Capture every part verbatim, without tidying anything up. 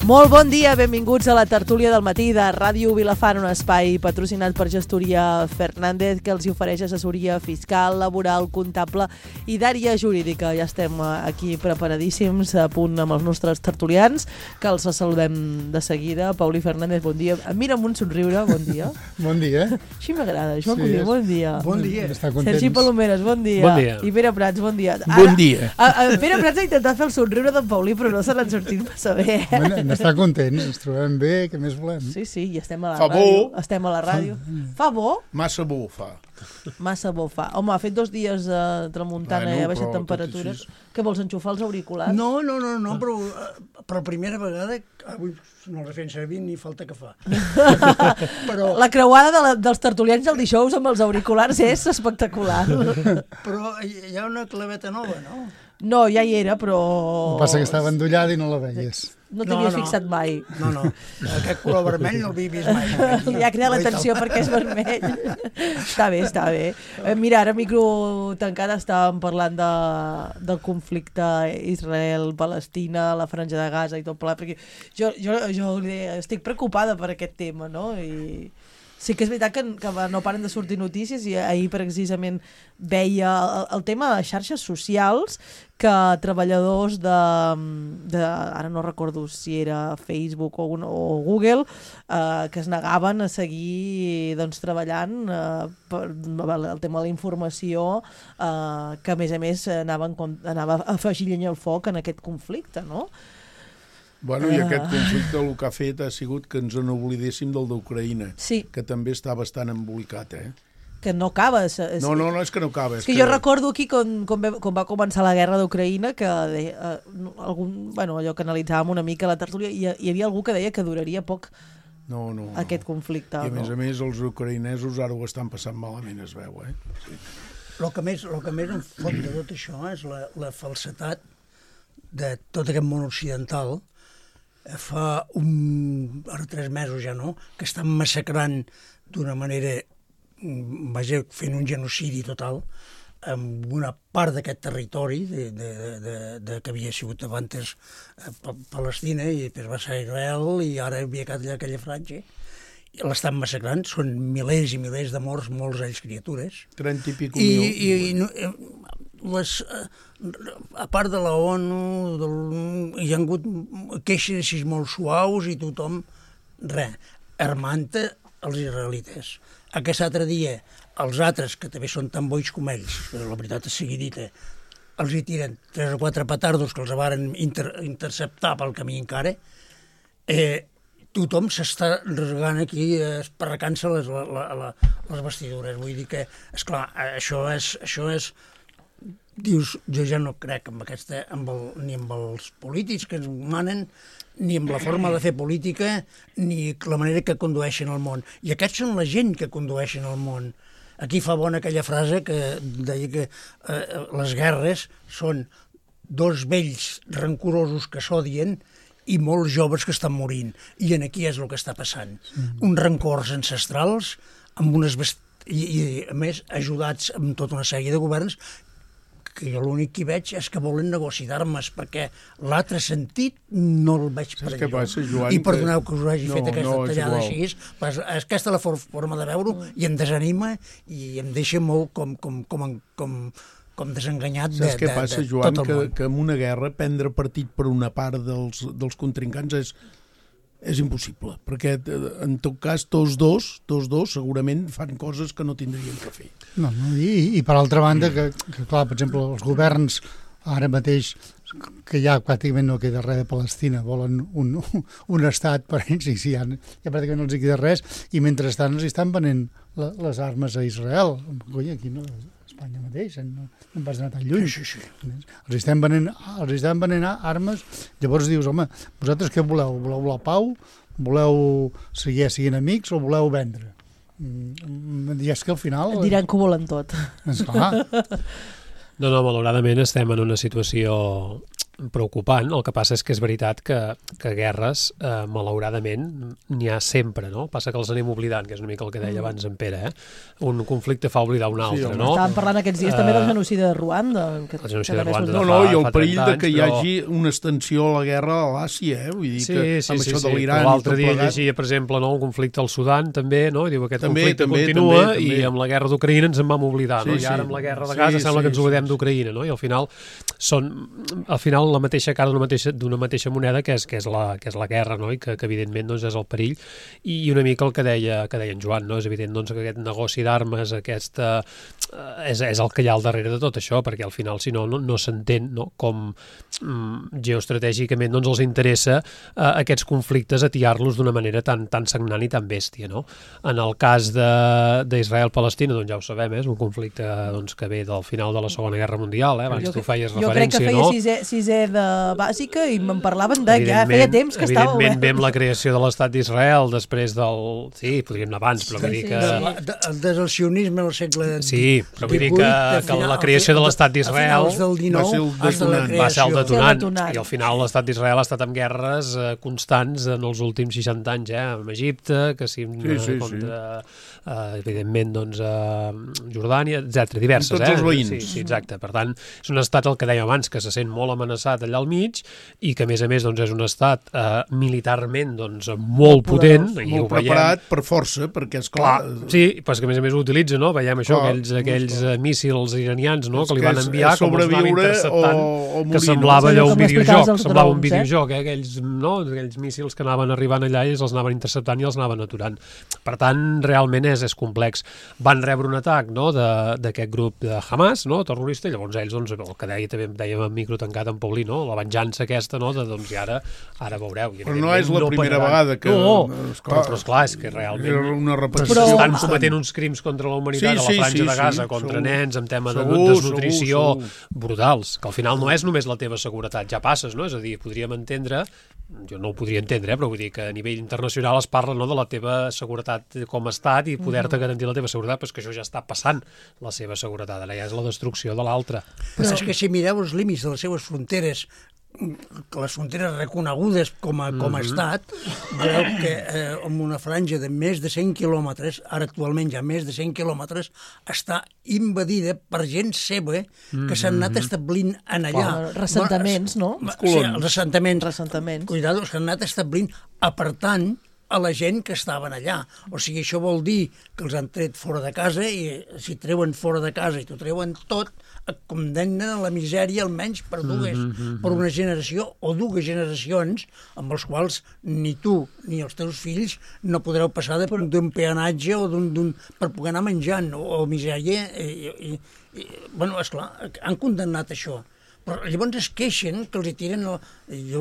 Molt bon dia, benvinguts a la tertúlia del matí de Ràdio Vilafant, un espai patrocinat per Gestoria Fernández que els ofereix assessoria fiscal, laboral, comptable i d'àrea jurídica. Ja estem aquí preparadíssims, a punt amb els nostres tertulians, que els saludem de seguida. Pauli Fernández, bon dia. Mira amb un somriure, bon dia. Bon dia. Així m'agrada, això Sí, sí, és... bon dia. Bon dia. Està contents. Sergi Palomeres, bon dia. Bon dia. I Pere Prats, bon dia. Ara, Bon dia. A, a, Pere Prats ha intentat fer el somriure d'en Pauli, però no se l'han sortit massa bé. Eh? Bueno, n'està contents, ens trobem bé, què més volem? Sí, sí, i estem a la Fa ràdio. bo. Estem a la ràdio. Fa bo? Massa bo fa. Massa bo fa. Home, ha fet dos dies de uh, tramuntana Bueno, i ha baixat però tot temperatures. així. Què vols, enxufar els auriculars? No, no, no, no, però eh, per primera vegada avui no els fem servir ni falta que fa. però, La creuada de la, dels tertulians del dijous amb els auriculars és espectacular. però hi ha una claveta nova, no? No, ja hi era, però... El que passa que estava endollada i no la veies. No t'havies No, no. fixat mai. No, no, aquest color vermell no l'havia vist mai. Li ha cridat l'atenció perquè és vermell. Està bé, està bé. Eh, mira, ara micro tancat estàvem parlant de, del conflicte Israel-Palestina, la franja de Gaza i tot plegat, perquè jo, jo, jo estic preocupada per aquest tema, no? I sí que és veritat que, que no paren de sortir notícies i ahir precisament veia el, el tema de xarxes socials que treballadors de, de ara no recordo si era Facebook o, un, o Google eh, que es negaven a seguir doncs, treballant eh, per el tema de la informació eh, que a més a més anaven, anava a afegir llenya al foc en aquest conflicte, no? Bueno, i aquest conflicte el que ha fet ha sigut que ens n'oblidéssim del d'Ucraïna, Sí. que també està bastant embolicat, eh? Que no acaba. És, és, No, no, no, és que no acaba. És que, que jo recordo aquí quan, quan, va, quan va començar la guerra d'Ucraïna que deia, eh, algun, bueno, allò que analitzàvem una mica a la tertúlia, hi, hi havia algú que deia que duraria poc No, no, no. aquest conflicte. I a més no? a més els ucraïnesos ara ho estan passant malament, es veu, eh? Sí. El que més, el que més em fot de tot això és la, la falsetat de tot aquest món occidental. Fa un, ara tres mesos ja no, que estan massacrant d'una manera, vaja, fent un genocidi total amb una part d'aquest territori de, de, de, de, que havia sigut abans eh, Palestina i després va ser Israel i ara havia quedat allà aquella franja. I l'estan massacrant, són milers i milers de morts, molts d'ells criatures. trenta i pico I, mil. i, i no, les, a part de la ONU, del, hi ha hagut queixes així molt suaus i tothom, res, armant els israelites. Aquest altre dia, els altres, que també són tan boix com ells, però la veritat és sigui dita, els hi tiren tres o quatre petardos que els varen inter, interceptar pel camí encara, eh, tothom s'està regant aquí, esparracant-se les, la, la, la, les vestidures. Vull dir que, esclar, això és, això és dius, jo ja no crec amb aquesta, amb el, ni amb els polítics que ens manen, ni amb la forma de fer política, ni la manera que condueixen el món. I aquests són la gent que condueixen el món. Aquí fa bona aquella frase que deia que eh, les guerres són dos vells rancorosos que s'odien i molts joves que estan morint. I en aquí és el que està passant. Mm. Uns rancors ancestrals, amb unes best... I, i, a més, ajudats amb tota una sèrie de governs que jo l'únic que veig és que volen negoci d'armes, perquè l'altre sentit no el veig per què passa, Joan, I perdoneu que- que us hagi No, fet aquesta no, és tallada igual. així, però és, és aquesta la for forma de veure-ho i em desanima i em deixa molt com, com, com, com, com desenganyat de, Saps què de, passa, de Joan? tot el Que, món. que en una guerra prendre partit per una part dels, dels contrincants és, és impossible, perquè en tot cas tots dos, tots dos segurament fan coses que no tindrien que fer. No, no, i, i per altra banda, que, que clar, per exemple, els governs ara mateix, que ja pràcticament no queda res de Palestina, volen un, un estat per ells, i sí, ja, ja pràcticament no els hi queda res, i mentrestant els estan venent la, les armes a Israel. Coi, aquí no, a Espanya mateix, no, no vas anar tan lluny. Sí, sí, sí. Els estan venent, els estan venent armes, llavors dius, home, vosaltres què voleu? Voleu la pau? Voleu seguir siguent amics o voleu vendre? Mm, I és que al final... Et diran que ho volen tot. Esclar. No, no, malauradament estem en una situació preocupant. El que passa és que és veritat que, que guerres, eh, malauradament, n'hi ha sempre, no? Passa que els anem oblidant, que és una mica el que deia abans en Pere, eh? Un conflicte fa oblidar un altre, Sí, no? Estàvem parlant aquests dies uh, també del genocidi de Ruanda. Que, el genocidi que de Ruanda No, de no, fa, i el fa perill de que hi però... hagi una extensió a la guerra a l'Àsia, eh? Vull dir Sí, que sí, amb sí, això sí. de l'Iran i L'altre tot dia plegat... llegia, per exemple, no, un conflicte al Sudan, també, no? I diu aquest També, conflicte també, continua també, també. i amb la guerra d'Ucraïna ens en vam oblidar, no? Sí, I ara sí. amb la guerra de Sí, Gaza sembla sí, que ens sí, oblidem sí. d'Ucraïna, no? I al final són, al final, la mateixa cara d'una mateixa, d'una mateixa moneda que és, que és, la, que és la guerra, no? I que, que evidentment doncs, és el perill. I una mica el que deia, que deia en Joan, no? És evident doncs, que aquest negoci d'armes, aquesta, eh, és, és el que hi ha al darrere de tot això, perquè al final, si no, no, no s'entén, no? Com mm, geoestratègicament doncs, els interessa eh, aquests conflictes atiar-los d'una manera tan, tan sagnant i tan bèstia, no? En el cas d'Israel-Palestina, doncs ja ho sabem, eh? És un conflicte doncs, que ve del final de la Segona Guerra Mundial, eh? Abans jo, tu feies jo crec que referència, feia no? sisè, sisè de bàsica i me'n parlaven de ja Evidentment- feia temps que estava Evidentment, obert. ve amb la creació de l'Estat d'Israel, després del... Sí, podríem anar abans, però vull Sí, dir sí, que... sí. De, de, des del sionisme al segle Sí, però vull dir que, que la creació de l'Estat d'Israel del va ser el detonant. va ser el Sí, el detonant, detonant. i al final l'Estat d'Israel ha estat en guerres eh, constants en els últims seixanta anys, eh, amb Egipte, que sí, Sí, sí, contra, eh, evidentment, doncs, eh, Jordània, etcètera, diverses. Amb tots eh? els veïns. Sí, sí, exacte. Per tant, és un estat, el que dèiem abans, que se sent molt amenaçat allà al mig i que, a més a més, doncs, és un estat eh, militarment doncs, molt potent. I Molt ho veiem. preparat per força, perquè, és clar... Clar, sí, però és que a més a més ho utilitza, no? Veiem això, Clar, aquells, aquells clar. eh, míssils iranians, no? És Que li que van és- enviar, és com els anaven sobreviure interceptant, o- o que morir, semblava no? allò Sí, un com explicaves videojoc, els semblava un drons, eh? videojoc, eh? Aquells, no? Aquells míssils que anaven arribant allà i els anaven interceptant i els anaven aturant. Per tant, realment és, és complex. Van rebre un atac, no?, de- d'aquest grup de Hamas, no?, terrorista, i llavors ells, doncs, el que deia, també dèiem en micro tancat en Paulí, no?, la venjança aquesta, no?, de, doncs, i ara, ara veureu. I, Però no és la no primera pararan. vegada que... No, esclar, però, però esclar, és que realment... Era una repetició. Però- estan cometent uns crims contra la humanitat Sí, a la sí, franja sí, de Gaza, sí, contra segur. nens, amb tema de Segur, desnutrició, segur, segur. brutals, que al final no és només la teva seguretat, ja passes, no? És a dir, podríem entendre, jo no ho podria entendre, eh, però vull dir que a nivell internacional es parla, no?, de la teva seguretat com a estat i poder-te garantir la teva seguretat, però és que això ja està passant, la seva seguretat, ara ja és la destrucció de l'altra. Però és que si mireu els límits de les seves fronteres, les fronteres reconegudes com a, com a estat, veureu que eh, amb una franja de més de cent quilòmetres, ara actualment ja més de cent quilòmetres, està invadida per gent seva que s'han anat establint en allà. Clar, ressentaments, no? Bueno, sí, els assentaments. Ressentaments. Cuidado, s'han anat establint apartant a la gent que estaven allà. O sigui, això vol dir que els han tret fora de casa i si treuen fora de casa i t'ho treuen tot, et condemnen a la misèria almenys per dues, mm-hmm. per una generació o dues generacions amb els quals ni tu ni els teus fills no podreu passar d'un peanatge o d'un per poder anar menjant o, o misèria. I, i, i, bueno, esclar, han condemnat això. Però llavors es queixen que els hi tiren... El... Jo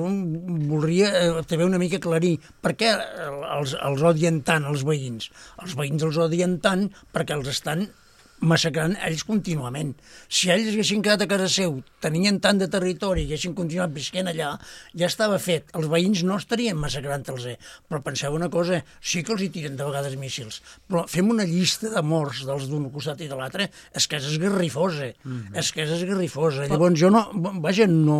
voldria eh, també una mica aclarir per què els, els odien tant, els veïns. Els veïns els odien tant perquè els estan massacrant ells contínuament. Si ells haguessin quedat a casa seu, tenien tant de territori i haguessin continuat visquent allà, ja estava fet. Els veïns no estarien massacrant-los. Eh? Però penseu una cosa, sí que els hi tiren de vegades míssils, però fem una llista de morts dels d'un costat i de l'altre, és que és esgarrifosa. Mm-hmm. És que és esgarrifosa. Però... Llavors jo no... Vaja, no,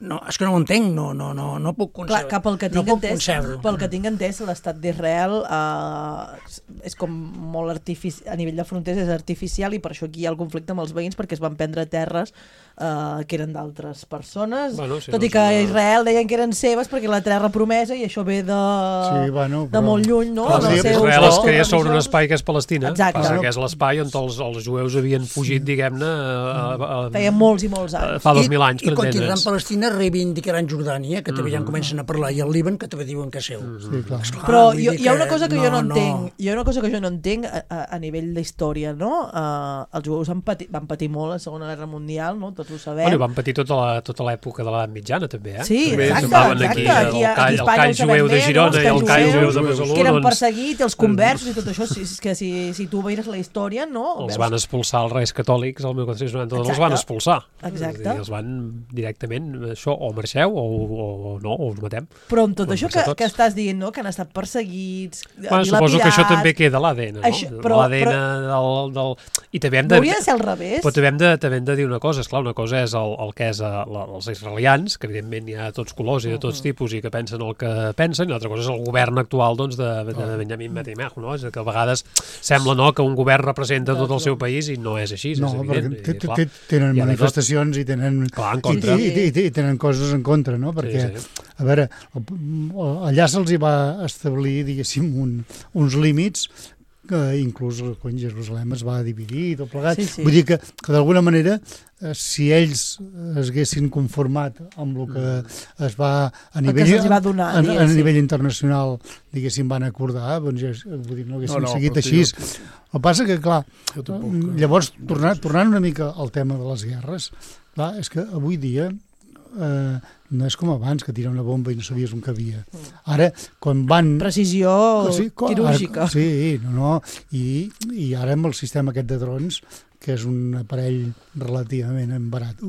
no... És que no ho entenc, no, no, no, no puc concebre. Clar, que pel que no tinc puc entès, concebre-ho. pel que tinc entès, l'estat d'Israel eh, és com molt artificial, a nivell de fronteres és artificial i per això aquí hi ha el conflicte amb els veïns perquè es van prendre terres eh, que eren d'altres persones, Bueno, sí, tot no i que sé, no. Israel deien que eren seves perquè la terra promesa i això ve de, Sí, bueno, de però- molt lluny, no? Clar, Dels seus- Israel es no? crea sobre un espai que és Palestina, Exacte. passa que és l'espai on els, els jueus havien fugit, diguem-ne, a- a- a- Feia molts i molts anys. fa dos mil anys, I, per i quan tiraran entendre's. Palestina reivindicaran Jordània, que també ja en comencen a parlar, i el Líban, que també diuen que és seu. Sí, clar. Esclar, Però vull jo, dir hi ha una cosa que no, jo no no. entenc, hi ha una cosa que jo no entenc a, a, a nivell d'història, no? Uh, els jueus han patit, van patir molt a la Segona Guerra Mundial, no? Tots ho sabem. Bueno, i van patir tota la, tota l'època de l'edat mitjana, també, eh? Sí, També exacte, semblaven exacte. Aquí, Aquí, el a, call, aquí a el Espanya call ho sabem jueu de bé, no? Girona Els i el calls call jueus, jueu de Besalú, que eren doncs, perseguits, els conversos i tot això, si, és que si, si tu veires la història, no? els Veus- van expulsar els reis catòlics el mil quatre-cents noranta-dos, els Exacte. van expulsar. Exacte. És a dir, els van directament, això, o marxeu o, o, o no, o us matem. Però amb tot Van això que, marxar tots. que estàs dient, no? Que han estat perseguits, Bueno, suposo que això dilapidats. també queda a l'A D N, no? Això- però- L'A D N del, del, I també hem de... No hauria de ser al revés? Però també hem de, també hem de dir una cosa, esclar, una cosa és el, el que és a, la, els israelians, que evidentment hi ha tots colors i de tots tipus i que pensen el que pensen, i l'altra cosa és el govern actual doncs, de, de, de Benjamin Netanyahu, no? És que a vegades sembla no, que un govern representa tot el seu país i no és així, no, és evident. Perquè t -t tenen manifestacions i tenen, clar, en contra. I, i, i, i tenen coses en contra, no? Perquè, sí, sí. a veure, allà se'ls hi va establir, diguéssim, un, uns límits que inclús quan Jerusalem es va dividir i tot plegat. Sí, sí. Vull dir que, que d'alguna manera, eh, si ells es haguessin conformat amb el que es va a nivell, va donar, a, a, a nivell internacional, diguéssim, van acordar, doncs ja, vull dir, no haguessin no, no, seguit així. Jo... El que passa que, clar, llavors, tornant, tornant una mica al tema de les guerres, clar, és que avui dia eh, no és com abans, que tira una bomba i no sabies on cabia. Ara, quan van... Precisió sí, quirúrgica. Ara, sí, no, no. I, I ara amb el sistema aquest de drons, que és un aparell relativament barat,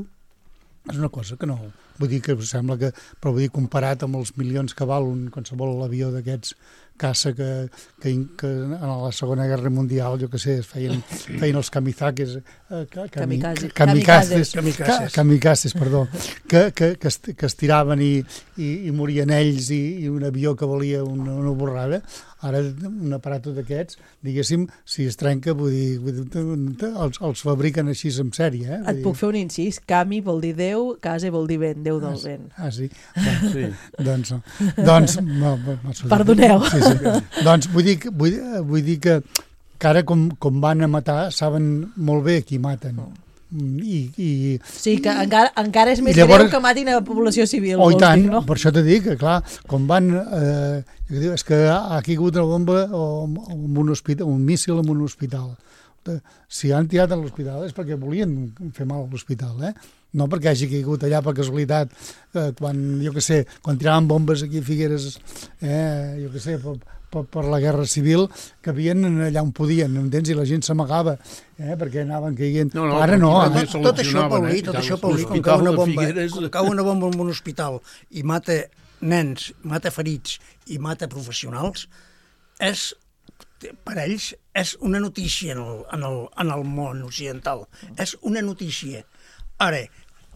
és una cosa que no... Vull dir que sembla que... Però vull dir, comparat amb els milions que val un qualsevol avió d'aquests caça que, que, que en la Segona Guerra Mundial, jo que sé, es feien, feien els kamizakes, eh, cami, kamikazes, kamikazes, kamikazes, kamikazes, perdó, que, que, que, es, que es tiraven i, i, i morien ells i, i un avió que valia una, una borrada. Ara un aparato d'aquests, diguéssim, si es trenca, vull dir, vull dir els, els fabriquen així en sèrie. Eh? Et puc fer un incís? Kami vol dir Déu, Kase vol dir vent, Déu del vent. Ah, sí? Bueno, sí. Doncs, doncs no, no, perdoneu. Sí, sí. Doncs vull dir, vull, vull dir que, que ara com, com van a matar saben molt bé qui maten. I, i, sí, que encara, encara és més llavors, greu que matin a la població civil. Oh, i tant, dir, no? Per això t'he dit que, clar, com van... Eh, és que ha caigut una bomba o, o un, hospital, un míssil en un hospital. Si han tirat a l'hospital és perquè volien fer mal a l'hospital, eh? No perquè hagi caigut allà per casualitat, eh, quan, jo què sé, quan tiraven bombes aquí a Figueres, eh, jo què sé, per, per, per la guerra civil, que havien allà on podien, entens? I la gent s'amagava, eh, perquè anaven caient. No, no, ara no. Ara... Tot, tot això, Paulí, tot això, Paulí, com cau una bomba, com cau una bomba en un hospital i mata nens, mata ferits i mata professionals, és, per ells, és una notícia en el, en el, en el món occidental. És una notícia. Ara,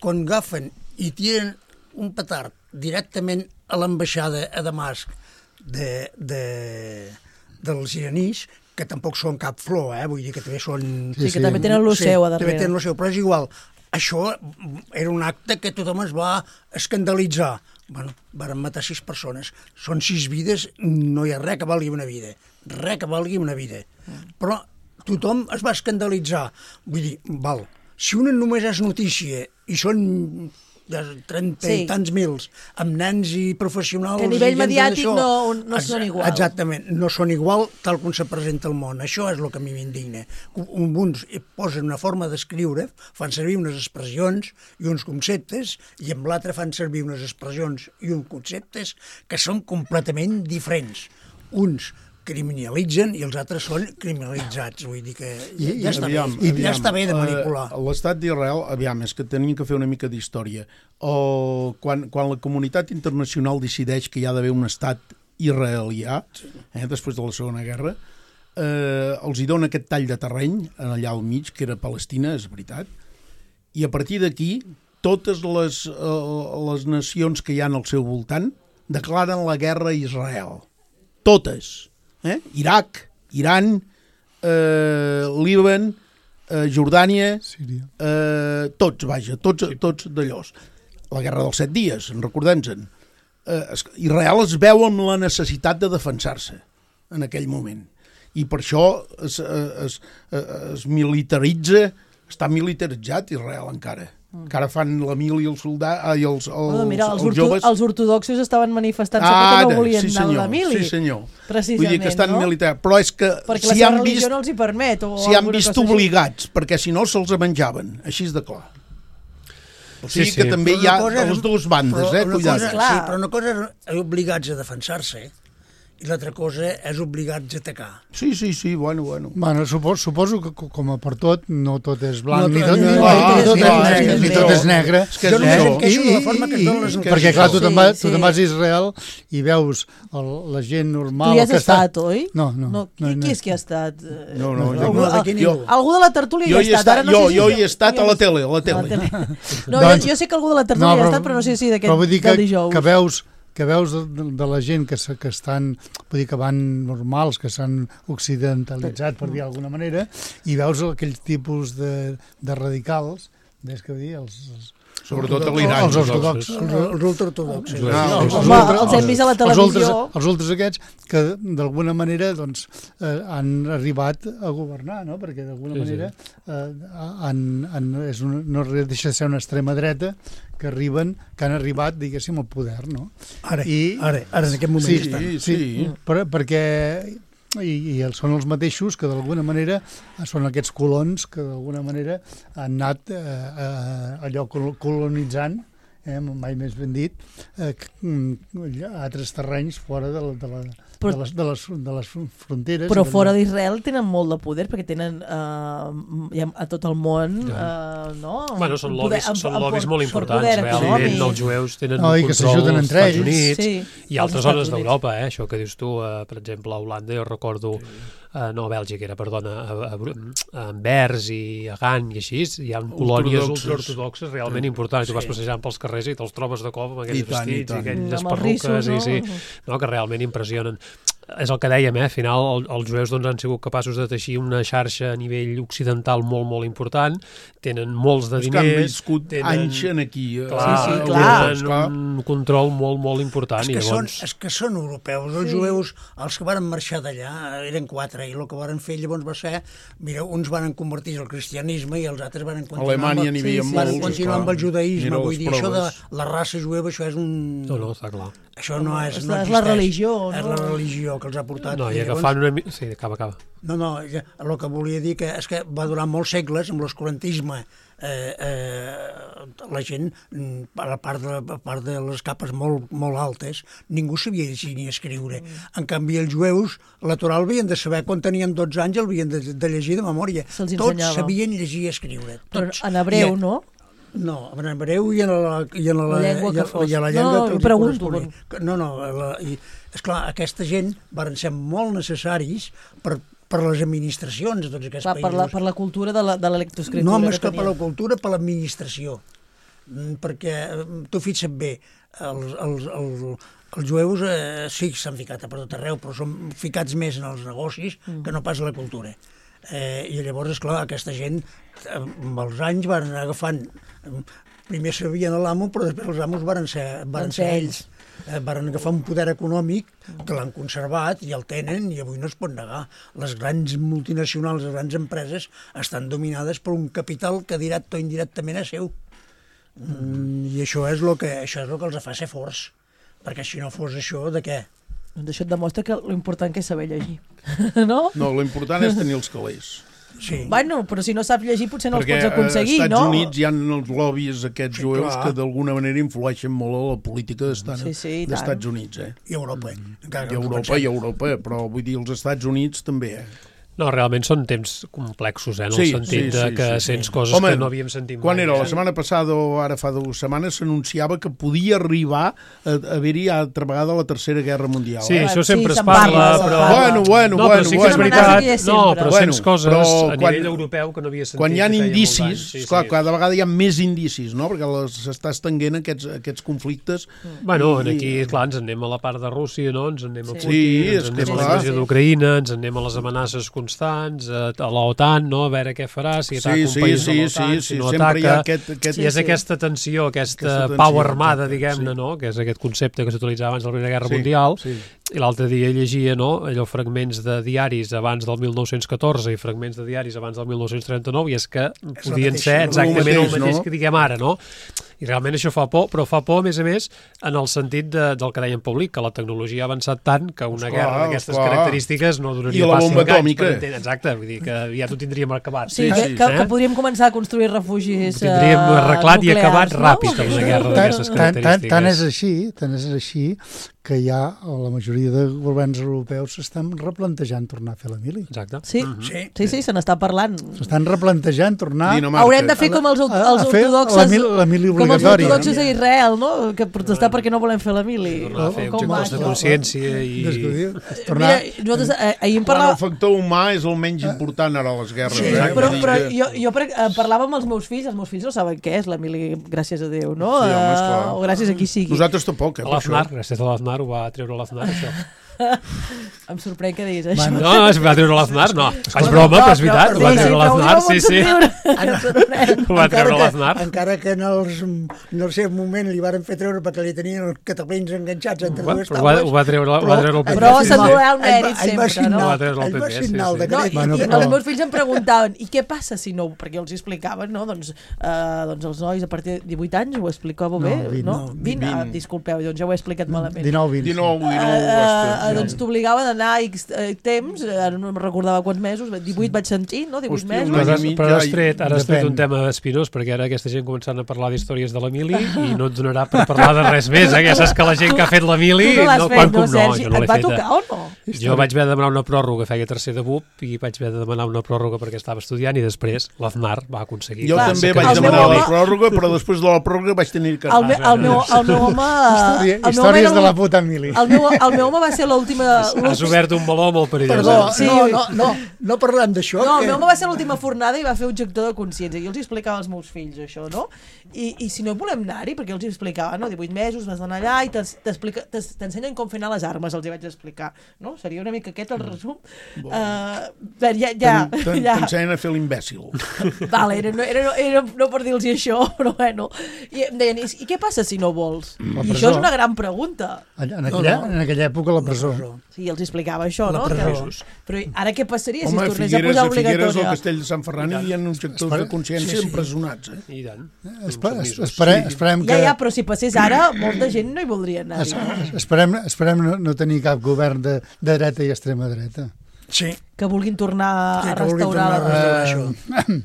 quan agafen i tiren un petard directament a l'ambaixada a Damasc de, de, dels iranis, que tampoc són cap flor, eh? Vull dir que també són... Sí, sí, que també tenen el seu a darrere. També tenen el seu, però és igual. Això era un acte que tothom es va escandalitzar. Bueno, van matar sis persones. Són sis vides, no hi ha res que valgui una vida. Res que valgui una vida. Però tothom es va escandalitzar. Vull dir, val, si una només és notícia i són de trenta sí. i tants mils, amb nens i professionals... Que a nivell mediàtic això, no, no ex són igual. Exactament, no són igual tal com se presenta el món. Això és el que a mi m'indigna. Uns posen una forma d'escriure, fan servir unes expressions i uns conceptes, i amb l'altre fan servir unes expressions i uns conceptes que són completament diferents. Uns criminalitzen i els altres són criminalitzats. Vull dir que ja, ja, està, aviam, bé. Aviam, ja està bé de manipular. Uh, L'estat d'Israel, aviam, és que tenim que fer una mica d'història. Uh, quan, quan la comunitat internacional decideix que hi ha d'haver un estat israelià, eh, després de la Segona Guerra, uh, els hi dona aquest tall de terreny allà al mig, que era Palestina, és veritat, i a partir d'aquí totes les, uh, les nacions que hi ha al seu voltant declaren la guerra a Israel. Totes. Eh? Iraq, Iran, eh, Líban, eh, Jordània, Síria. Eh, tots, vaja, tots, tots d'allòs. La guerra dels set dies, en recordem-se'n. Eh, Israel es veu amb la necessitat de defensar-se en aquell moment. I per això es, es, es, es militaritza, està militaritzat Israel encara. Encara fan la mili i els soldats, i els, els, oh, mira, els, els orto, joves... els ortodoxos estaven manifestant-se ah, perquè no volien sí, anar a la mili. Sí, senyor. Precisament, vull dir que estan no? militar. Però és que perquè si la seva han religió vist, no els hi permet. O si han vist obligats, així. Perquè si no se'ls menjaven. Així és de clar. O sigui sí, sí. que també hi ha les dues bandes, eh? Cuidado. Cosa, sí, però una cosa és obligats a defensar-se i l'altra cosa és obligats a atacar. Sí, sí, sí, bueno, bueno. Bueno, suposo, suposo que co- com a per tot, no tot és blanc, No ni tot- tot, no, ni, no, ni no, tot, no, és, no, ni no, tot no. és negre. És que Jo és només això. em queixo de la forma que es donen les I- coses. perquè clar, tu Sí, te'n vas, tu sí. te'n vas a Israel i veus el, la gent normal... Tu hi has que està... estat, oi? No, no. no, qui, no, no. qui és que ha estat? Eh, No, no, jo algú, no, d'aquí al- ningú. algú de la tertúlia Jo hi hi he ha estat. estat, Ara no jo, sé si jo hi he estat a la jo- tele, a la a la tele. tele. No, Doncs- jo, jo sé que algú de la tertúlia No, hi ha però- estat, però no sé si d'aquest Però vull dir que, del dijous. que veus que veus de, de, de la gent que, se- que estan, vull dir que van normals, que s'han occidentalitzat, per dir d'alguna manera, i veus aquells tipus de, de radicals, ves què vull dir, els, els, Sobretot a l'Iran. els ortodoxos. Els, els ultraortodoxos. Jueus. Ah, Els, Home, els hem vist a la els ultres, televisió. els ultres aquests que d'alguna manera doncs, eh, han arribat a governar, no? Perquè d'alguna Sí, sí. manera eh, han, han, és una, no deixa de ser una extrema dreta que arriben, que han arribat, diguéssim, al poder, no? Ara, I- ara, ara en aquest moment Sí, estan. Sí, Sí, sí. per, perquè i, i els, són els mateixos que d'alguna manera són aquests colons que d'alguna manera han anat eh, eh, allò col- colonitzant, eh, mai més ben dit, eh, c- altres terrenys fora de, la, de, la, Però- de, les, de, les, de les fronteres. Però i de- fora d'Israel tenen molt de poder perquè tenen eh, ja a tot el món eh, no? Bueno, són Poder- lobbies, amb- són amb lobbies por- molt per importants. poder Realment, econòmic. els jueus tenen No, un i que control s'ajuden als entre Estats ells. Units Sí, i als altres Estats zones Units. d'Europa, eh? Això que dius tu, eh, per exemple, a Holanda, jo recordo, eh, no, a Bèlgica era, perdona, a, a, a Anvers i a Gant i així, hi ha colònies Ortodoxes. ultraortodoxes realment importants. Tu vas passejant pels carrers i te'ls trobes de cop amb aquells I tant, i vestits i, tant. aquelles Amb els perruques, rissos, no? i, sí, no, que realment impressionen. És el que dèiem, eh? Al final el, els jueus doncs, han sigut capaços de teixir una xarxa a nivell occidental molt, molt important, tenen molts de És que han diners, viscut tenen... anys en aquí. eh, Clar, Sí, sí, a clar. Europa, tenen esclar. un control molt, molt important. És I que, són, llavors... és que són europeus, els Sí. jueus, els que van marxar d'allà, eren quatre, i el que van fer llavors va ser, mira, uns van convertir al cristianisme i els altres van A continuar, Alemanya amb, n'hi havia Sí, sí, van molts. continuar amb el judaïsme. Mira Vull les dir, això de proves. la raça jueva, això és un... No, no, està clar. Això no és, És no la- és la existeix. religió, És no? la religió que els ha portat. No, i llavors- agafant una... mi- Sí, acaba, acaba. No, no, ja- el que volia dir que és que va durar molts segles amb l'oscurantisme. Eh, eh, la gent, mm, a la part de, a part de les capes molt, molt altes, ningú sabia llegir ni escriure. Mm. En canvi, els jueus, natural, havien de saber, quan tenien dotze anys, el havien de, de llegir de memòria. Se'ls Tots ensenyava. sabien llegir i escriure. Però Tots. en hebreu, I, no? No, en hebreu i en la, i en la, La llengua i, que a- fos. i a la No, llengua no, que els pregunto, corresponia. No, no, la, i, esclar, aquesta gent van ser molt necessaris per, per les administracions de tots aquests Clar, països. per, la, per la cultura de la- de l'electroescriptura. No només que que per la tenien. cultura, per l'administració. Mm, Perquè, eh, tu fixa't bé, els, els, els, els jueus eh, sí que s'han ficat a per tot arreu, però són ficats més en els negocis Mm. que no pas a la cultura. Eh, I llavors, esclar, aquesta gent, eh, amb els anys, van anar agafant... eh, Primer sabien l'amo, però després els amos van ser, van Van ser ser ells. Eh, van agafar un poder econòmic que l'han conservat i el tenen i avui no es pot negar. Les grans multinacionals, les grans empreses estan dominades per un capital que directe o indirectament és seu. Mm, I això és el que, això és el que els fa ser forts. Perquè si no fos això, de què? Doncs això et demostra que l'important que és saber llegir. no? No, l'important és tenir els calés. Sí. Bueno, però si no saps llegir potser no Perquè els pots aconseguir, als Estats no? Units hi ha els lobbies aquests Sí, jueus clar. que d'alguna manera influeixen molt a la política d'Estats Sí, sí, i tant. d'Estats Units. Eh? I Europa. Encara I que no Europa, pensem. i Europa, però vull dir, els Estats Units també. Eh? No, realment són temps complexos, eh? En Sí, el sentit sí, de sí, que sí, sents sí. coses Home, que no havíem sentit Quan mai. era? La eh? setmana passada o ara fa dues setmanes s'anunciava que podia arribar a haver-hi altra vegada la Tercera Guerra Mundial. Sí, eh? això Sí, sempre es se'n parla, parla, se'n però... parla. Bueno, bueno, no, però bueno, sí que bueno. és Una amenaça veritat, que hi és no, sempre. però Bueno, sents coses però a quan- nivell europeu que no havia sentit. Quan hi ha que feia molts indicis, anys. Sí, esclar, sí. cada vegada hi ha més indicis, no? Perquè les- s'està estenguent aquests, aquests conflictes. Bueno, I- aquí, clar, ens en anem a la part de Rússia, no? Ens en anem a Sí. Putin, Sí, ens és en que anem a la clar. invasió d'Ucraïna, ens en anem a les amenaces constants, a, a l'OTAN, no? A veure què farà, si ataca Sí, un sí, país sí, de l'OTAN, sí, si sí, no sempre hi ha ataca... aquest- aquest- I és Sí, sí. aquesta tensió, aquesta, Aquesta tensió, pau armada, exacte, diguem-ne, sí. no? Que és aquest concepte que s'utilitzava abans de la Primera Guerra Sí, Mundial. sí. I l'altre dia llegia, no?, allò fragments de diaris abans del mil nou-cents catorze i fragments de diaris abans del mil nou-cents trenta-nou, i és que podien mateix, ser el exactament el mateix, mateix no? que diguem ara, no? I realment això fa por, però fa por, a més a més, en el sentit de, del que deia en Paulic, que la tecnologia ha avançat tant que una Esclar, guerra d'aquestes esclar. característiques no duraria I la pas bomba cinc anys atòmica. per entendre. Exacte, vull dir que ja t'ho tindríem acabat. Sí, Sí, que, sí. que, Eh? que podríem començar a construir refugis Tindríem eh, arreglat i nuclears, acabat no? ràpid amb una guerra Tant, d'aquestes tant, tant, característiques. tant és així, tant és així que ja la majoria de governs europeus s'estan replantejant tornar a fer la mili. Exacte. Sí, Mhm. Sí. sí, sí, se n'està parlant. S'estan replantejant tornar Dinamarca. Haurem de fer com els, a, els a fer la ortodoxes... mili, la mili Com els obligatòria. ortodoxes a Israel, no? Que protestar perquè no volem fer la mili. Tornar a fer Com objectors de va, això? consciència i... Descobriu. Tornar... Mira, nosaltres eh, ahir en Quan el parlàvem... factor humà és el menys important ara a les guerres. Sí, eh? però, Vull dir però que- jo, jo per, eh, parlava amb els meus fills, els meus fills no saben què és la mili, gràcies a Déu, no? Sí, home, esclar. Eh, o gràcies a qui sigui. Nosaltres tampoc, eh? per això. L'Aznar, gràcies a l'Aznar, ho va treure l'Aznar, això. Em sorprèn que diguis això. Bueno, No, no, es va treure l'Aznar, no. Faig broma, però és veritat, ho va treure l'Aznar, sí, sí. Ho va treure l'Aznar. Encara que en, els, en el seu moment li varen fer treure perquè li tenien els catalans enganxats entre Ho va- dues ho va- taules. ho va treure- ho va treure el P P. Però Sí, se'n sí. durarà el Ell va- mèrit ell va sempre, signar- no? Ho va treure el ell va P P, sí, signar el sí. decret. No, i, Bueno, i però- els meus fills em preguntaven i què passa si no, perquè jo els explicaven, no? Doncs, eh, doncs els nois a partir de divuit anys ho explicava No, bé, vint, no? no, vint, ah, vint. disculpeu, doncs ja ho he explicat malament. dinou vint. dinou, dinou, Eh, eh, hòstia. doncs t'obligava d'anar X eh, temps, eh, ara no em recordava quants mesos, divuit vaig sentir, no? divuit Hòstia, mesos. un Però, any i has, mig però ja has hi- tret, ara has tret depèn. un tema espinós, perquè ara aquesta gent començant a parlar d'històries de la mili i no et donarà per parlar de res més, eh? Que saps que la gent que ha fet la mili... Tu no l'has no, fet, quan no, com no, Sergi? jo no Et l'he va feta. tocar o no? Jo vaig haver de demanar una pròrroga, feia tercer de B U P, i vaig haver de demanar una pròrroga perquè estava estudiant, i després l'Aznar va aconseguir. Jo Clar, també que vaig el meu demanar la home- pròrroga, però després de la pròrroga vaig tenir que... El, me, el, meu, el meu home... Història, el meu home històries era de la el- puta mili. El meu, el meu home va ser l'última... Has obert un meló molt perillós. Perdó, eh? Sí. no, no, no, no parlem d'això. No, el que... meu home va ser l'última fornada i va fer objector de consciència. Jo els explicava als meus fills això, no? I, i si no volem anar-hi, perquè els explicava, no? divuit mesos, vas anar allà i t'es- t'explica- t'es- t'ensenyen com fer anar les armes, els hi vaig explicar, no? Seria una mica aquest el resum. Uh, ja, ja, ja. T'ensenyen a fer l'imbècil. Vale, era, no, era, era no per dir-los això, però bueno. I em deien, i, i què passa si no vols? La I presó. això és una gran pregunta. Allà, en, aquella, No, no. en aquella època la presó. Sí, els explicava això, La no? presó. Que, però ara què passaria Home, si a es tornés Figueres, a posar a Figueres, al obligatòria? Castell de Sant Ferran, hi ha objectors Espera. de consciència Sí, sí. empresonats. Eh? I tant. Espe es, Uns espere, Sí. esperem que... Ja, ja, però si passés ara, molta gent no hi voldria anar. es, esperem, esperem no, no tenir cap govern de, de dreta i extrema dreta. Sí, Que vulguin tornar sí, a que vulgui restaurar... tornar a la- restaurar això.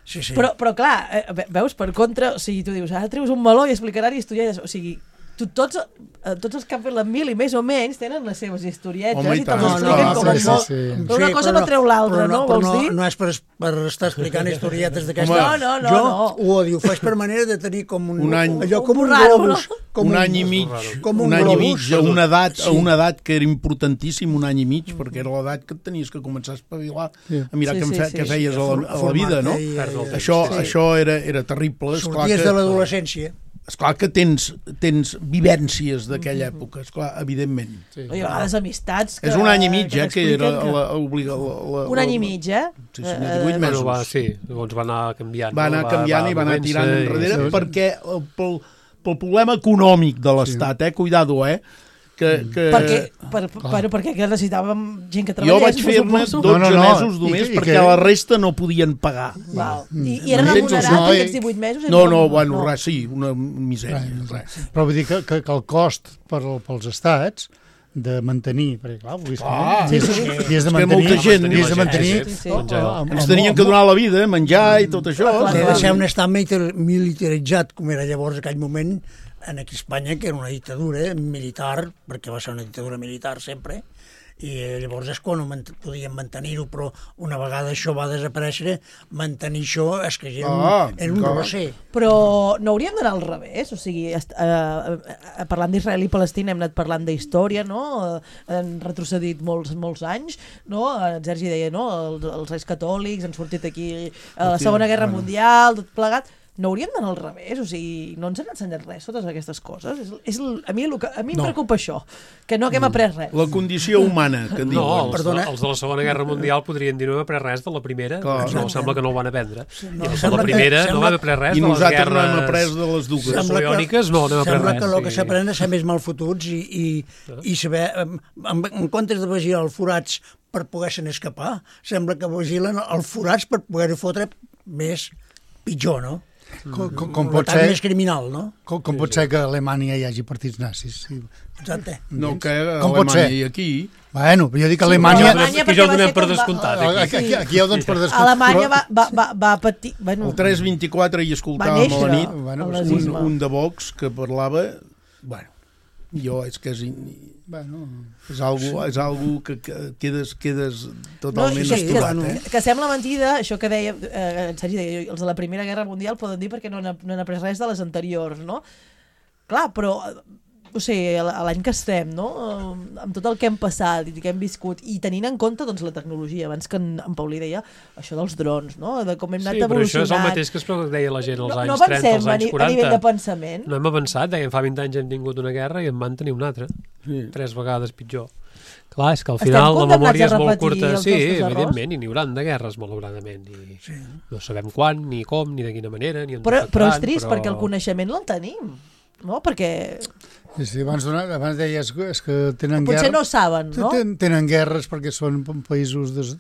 Sí, sí. Però, però clar, eh, ve- veus, per contra, o sigui, tu dius, ara treus un meló i explicarà historietes, o sigui, tu, tots, eh, tots els que han fet la mili, més o menys, tenen les seves historietes Home, i i te'ls tant. expliquen No, com no, a sí, molt. sí, sí. Però una cosa no treu l'altra, però no? Però Vols no, dir? no és per, per estar explicant historietes d'aquesta. No, no, no, Jo no. ho odio, ho faig per manera de tenir com un... Un any. Allò com Un un raro, globus. no? Com un any i mig, com un, un any i globus. mig, a una edat, Sí. a una edat que era importantíssim, un any i mig, perquè era l'edat que et tenies que començar a espavilar, Sí. a mirar Sí, què, sí, fe, sí, què sí, feies a la, a la vida, no? I, Perdre el i, temps. Això, Sí. això era, era terrible. Esclar Sorties que, de l'adolescència. esclar que tens, tens vivències d'aquella època, esclar, evidentment. Sí. I a vegades amistats que... És un any i mig, que eh, que era t'expliquen la, obliga, la, la, Un any i mig, eh? Sí, sí, Eh, divuit mesos. Bueno, va, sí, llavors va anar canviant. Va anar no? canviant i va anar movent-se tirant i- enrere sí. perquè el, pel, pel problema econòmic de l'Estat, eh? Cuidado, eh? Que, que... Perquè, per, per, perquè que necessitàvem gent que Jo treballés, vaig fer-ne suposo. dotze No, no, no. mesos I només que- i perquè que- la resta no podien pagar. Val. I, I era M'entens? remunerat No, i- aquests divuit mesos? No, Era no, com- bueno, res, sí, una misèria. Res, Res. Però vull dir que, que, que el cost per, pels estats de mantenir, perquè clar, vull dir, Clar, dies, sí, sí. dies És de que mantenir, molta gent- dies de mantenir, Sí, sí. el- el- el- Ens el- tenien que donar la vida, menjar i tot això. Clar, Té clar. de ser un estat militer- militaritzat, com era llavors aquell moment, en aquí a Espanya, que era una dictadura militar, perquè va ser una dictadura militar sempre, i eh, llavors és quan ho mant podien mantenir-ho, però una vegada això va desaparèixer, mantenir això és que era un, Ah, era un clar. roser. Però no hauríem d'anar al revés, o sigui, est- eh, eh, parlant d'Israel i Palestina hem anat parlant d'història, no? Eh, han retrocedit molts, molts anys, no? En Sergi deia, no? Els, els reis catòlics han sortit aquí a la Segona Guerra Mundial, tot plegat. No hauríem d'anar al revés, o sigui, no ens han ensenyat res, totes aquestes coses. És, és, el- a mi, el que, a mi em No. preocupa això, que no haguem après res. La condició humana, que en No, diuen. els, Perdona. els de la Segona Guerra Mundial podrien dir no hem après res de la primera, Clar. no, sembla que no ho van aprendre. no, I els de sembla la que- primera no sembla- van après res I de les nosaltres no hem guerres après de les dues. Sembla napoleòniques, no, no hem après sembla res. que el que sí. s'aprèn és ser més malfotuts i, i, i saber, en, en comptes de vigilar els forats per poder-se'n escapar, sembla que vigilen els forats per poder-ho fotre més pitjor, no? Com, com, com, Un pot atac ser, més criminal, no? com, com pot ser que a Alemanya hi hagi partits nazis? Sí. Exacte. No, que a Com pot Alemanya ser? i aquí... Bueno, jo dic que però Alemanya... Alemanya Que ja ho perquè va donem ser per com va- descomptat, aquí. Aquí, aquí, aquí ja ho dones per descomptat. Alemanya però- va, va, va, va patir... Bueno, El tres vint-i-quatre hi va escoltàvem a néixer la nit Bueno, el pues, un, nazisme. un de Vox que parlava... Bueno, Jo, és que és... In... Bueno, És algo, és algo que, que quedes, quedes totalment no, sí, esturat, que, eh? que sembla mentida, això que deia, eh, en Sergi deia, els de la Primera Guerra Mundial poden dir perquè no han, no han après res de les anteriors, no? Clar, però, o sigui, l'any que estem, no? Amb tot el que hem passat i que hem viscut, i tenint en compte doncs, la tecnologia, abans que en, en Paulí deia això dels drons, no? De com hem anat sí, però evolucionant. això és el mateix que es deia la gent als no, anys no trenta, als a, anys ni, quaranta. a nivell de pensament. No hem avançat, deien, fa vint anys hem tingut una guerra i en van tenir una altra. Sí. Tres vegades pitjor. Clar, és que al Estem final la condemnats memòria a és molt repetir curta. els Sí, nostres errors? evidentment, i n'hi hauran de guerres, malauradament. I sí. No sabem quan, ni com, ni de quina manera, ni on Però, però és afectaran, trist, però... perquè el coneixement el tenim, no? Perquè sí, sí, abans, abans deies és que tenen potser guerra... no saben, no? Ten, tenen guerres perquè són països des,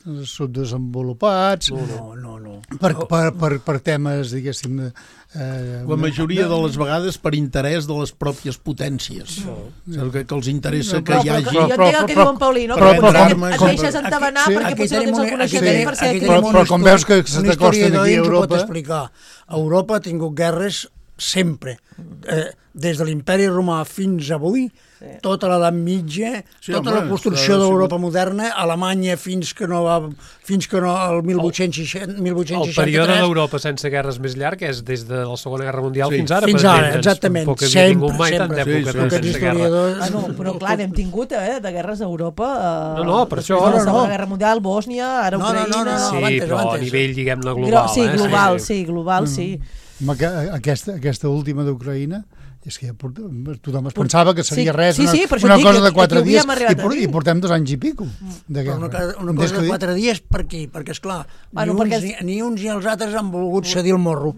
subdesenvolupats, No, no, no. no. per, per, per, per temes, diguéssim... De, eh, La majoria de les vegades per interès de les pròpies potències. No. El que, que els interessa que Però, hi però, hagi... jo entenc el que diu en Paulí, no? però- Perquè però potser com- et com- deixes entabanar aquí- perquè aquí potser no tenim tens el un- aquí coneixement tenim- per ser aquí aquí. Però- tenim però un com histo- veus que se un t'acosten historiador aquí a ens ho Europa- pot explicar. Europa ha tingut guerres sempre. Eh, des de l'imperi romà fins avui, sí. tota l'edat mitja, Sí, tota home, la construcció ha d'Europa moderna, Alemanya fins que no va fins que no el mil vuit-cents seixanta, mil vuit-cents El seixanta-tres. període d'Europa sense guerres més llarg és des de la Segona Guerra Mundial Sí. fins ara. Fins per ara, entendre'ns. exactament. Tampoc havia Sempre, tingut mai tant sempre. d'època Sí, sí. de Aquests sense guerra. historiadors... Ah, no, però clar, n'hem tingut eh, de guerres a Europa. Eh, No, no, per després això- de la no, no. Segona Guerra Mundial, Bòsnia, ara No, no, no, Ucraïna... no, no. Sí, avantes, però a avantes. nivell, diguem-ne, Gro- global. sí, eh? global, sí, global, sí. Home, que aquesta, aquesta última d'Ucraïna és que ja port... tothom es pensava que seria Sí, res, sí, una, sí, per això una dic cosa que de quatre aquí ho dies havíem arribat i, por, a dir. i portem dos anys i pico de Però guerra. una, cosa- una Des cosa de que- quatre dies per aquí, perquè esclar, Bueno, ni, uns, perquè ni, ni uns ni els altres han volgut cedir el morro.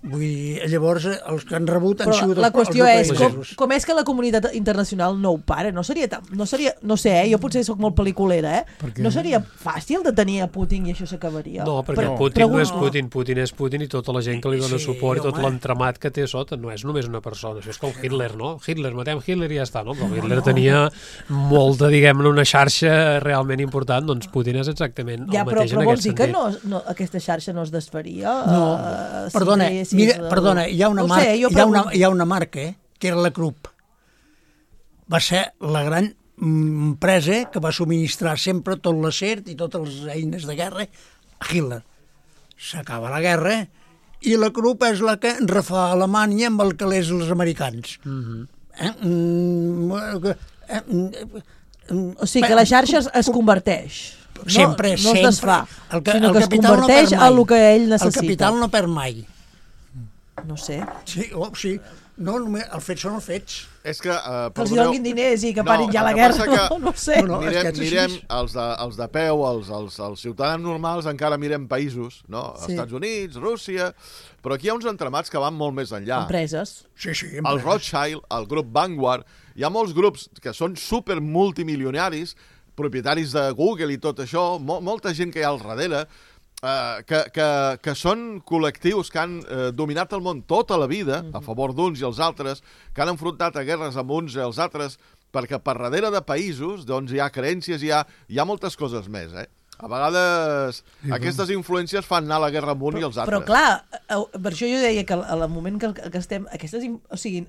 Vull dir, llavors els que han rebut han Però sigut la els, qüestió els és com, ucraïnesos. com és que la comunitat internacional no ho para? No seria, tan, no seria, no sé, eh? Jo potser sóc molt pel·liculera, eh? Per què? No seria fàcil de tenir a Putin i això s'acabaria? No, perquè Però- Putin pregunto. no és Putin, Putin és Putin i tota la gent que li dona Sí, suport i tot home. l'entramat que té a sota no és només una persona, això és com Hitler, no? Hitler, matem Hitler i ja està, no? Però Hitler tenia molta, diguem-ne, una xarxa realment important, doncs Putin és exactament Ja, el però, mateix però en vols aquest dir que sentit. no, no, aquesta xarxa no es desfaria? No, eh, si perdona, triessis, mira, eh, perdona, hi ha una, no ho marca, sé, jo hi, ha una, pregunto. hi ha una marca, eh, que era la Krupp. Va ser la gran mm, empresa que va subministrar sempre tot l'acer i totes les eines de guerra a Hitler. S'acaba la guerra i la Krupp és la que refà Alemanya amb el calés els americans. Mhm. Eh? Mm, eh, mm, O sigui que la xarxa es, es converteix. No, sempre, no sempre. es desfà, El, que, sinó el que es capital no converteix perd a mai. el que ell El necessita. capital no perd mai. No sé. Sí, oh, sí. No, només, els fets són els fets. És que... Uh, Que els donin diners i que parin ja la el que guerra, passa que no, no ho sé. No, no, és que mirem, és així. mirem els, de, els de peu, els, els, els ciutadans normals, encara mirem països, no? Sí. Estats Units, Rússia... Però aquí hi ha uns entramats que van molt més enllà. Empreses. Sí, sí. El Rothschild, el grup Vanguard, hi ha molts grups que són super multimilionaris, propietaris de Google i tot això, mo molta gent que hi ha al darrere, eh, que, que, que són col·lectius que han eh, dominat el món tota la vida, a favor d'uns i els altres, que han enfrontat a guerres amb uns i els altres, perquè per darrere de països doncs, hi ha creences, hi ha, hi ha moltes coses més, eh? A vegades sí, aquestes influències fan anar la guerra amb un i els altres. Però clar, eh, per això jo deia que al moment que, que estem... Aquestes, in- o sigui,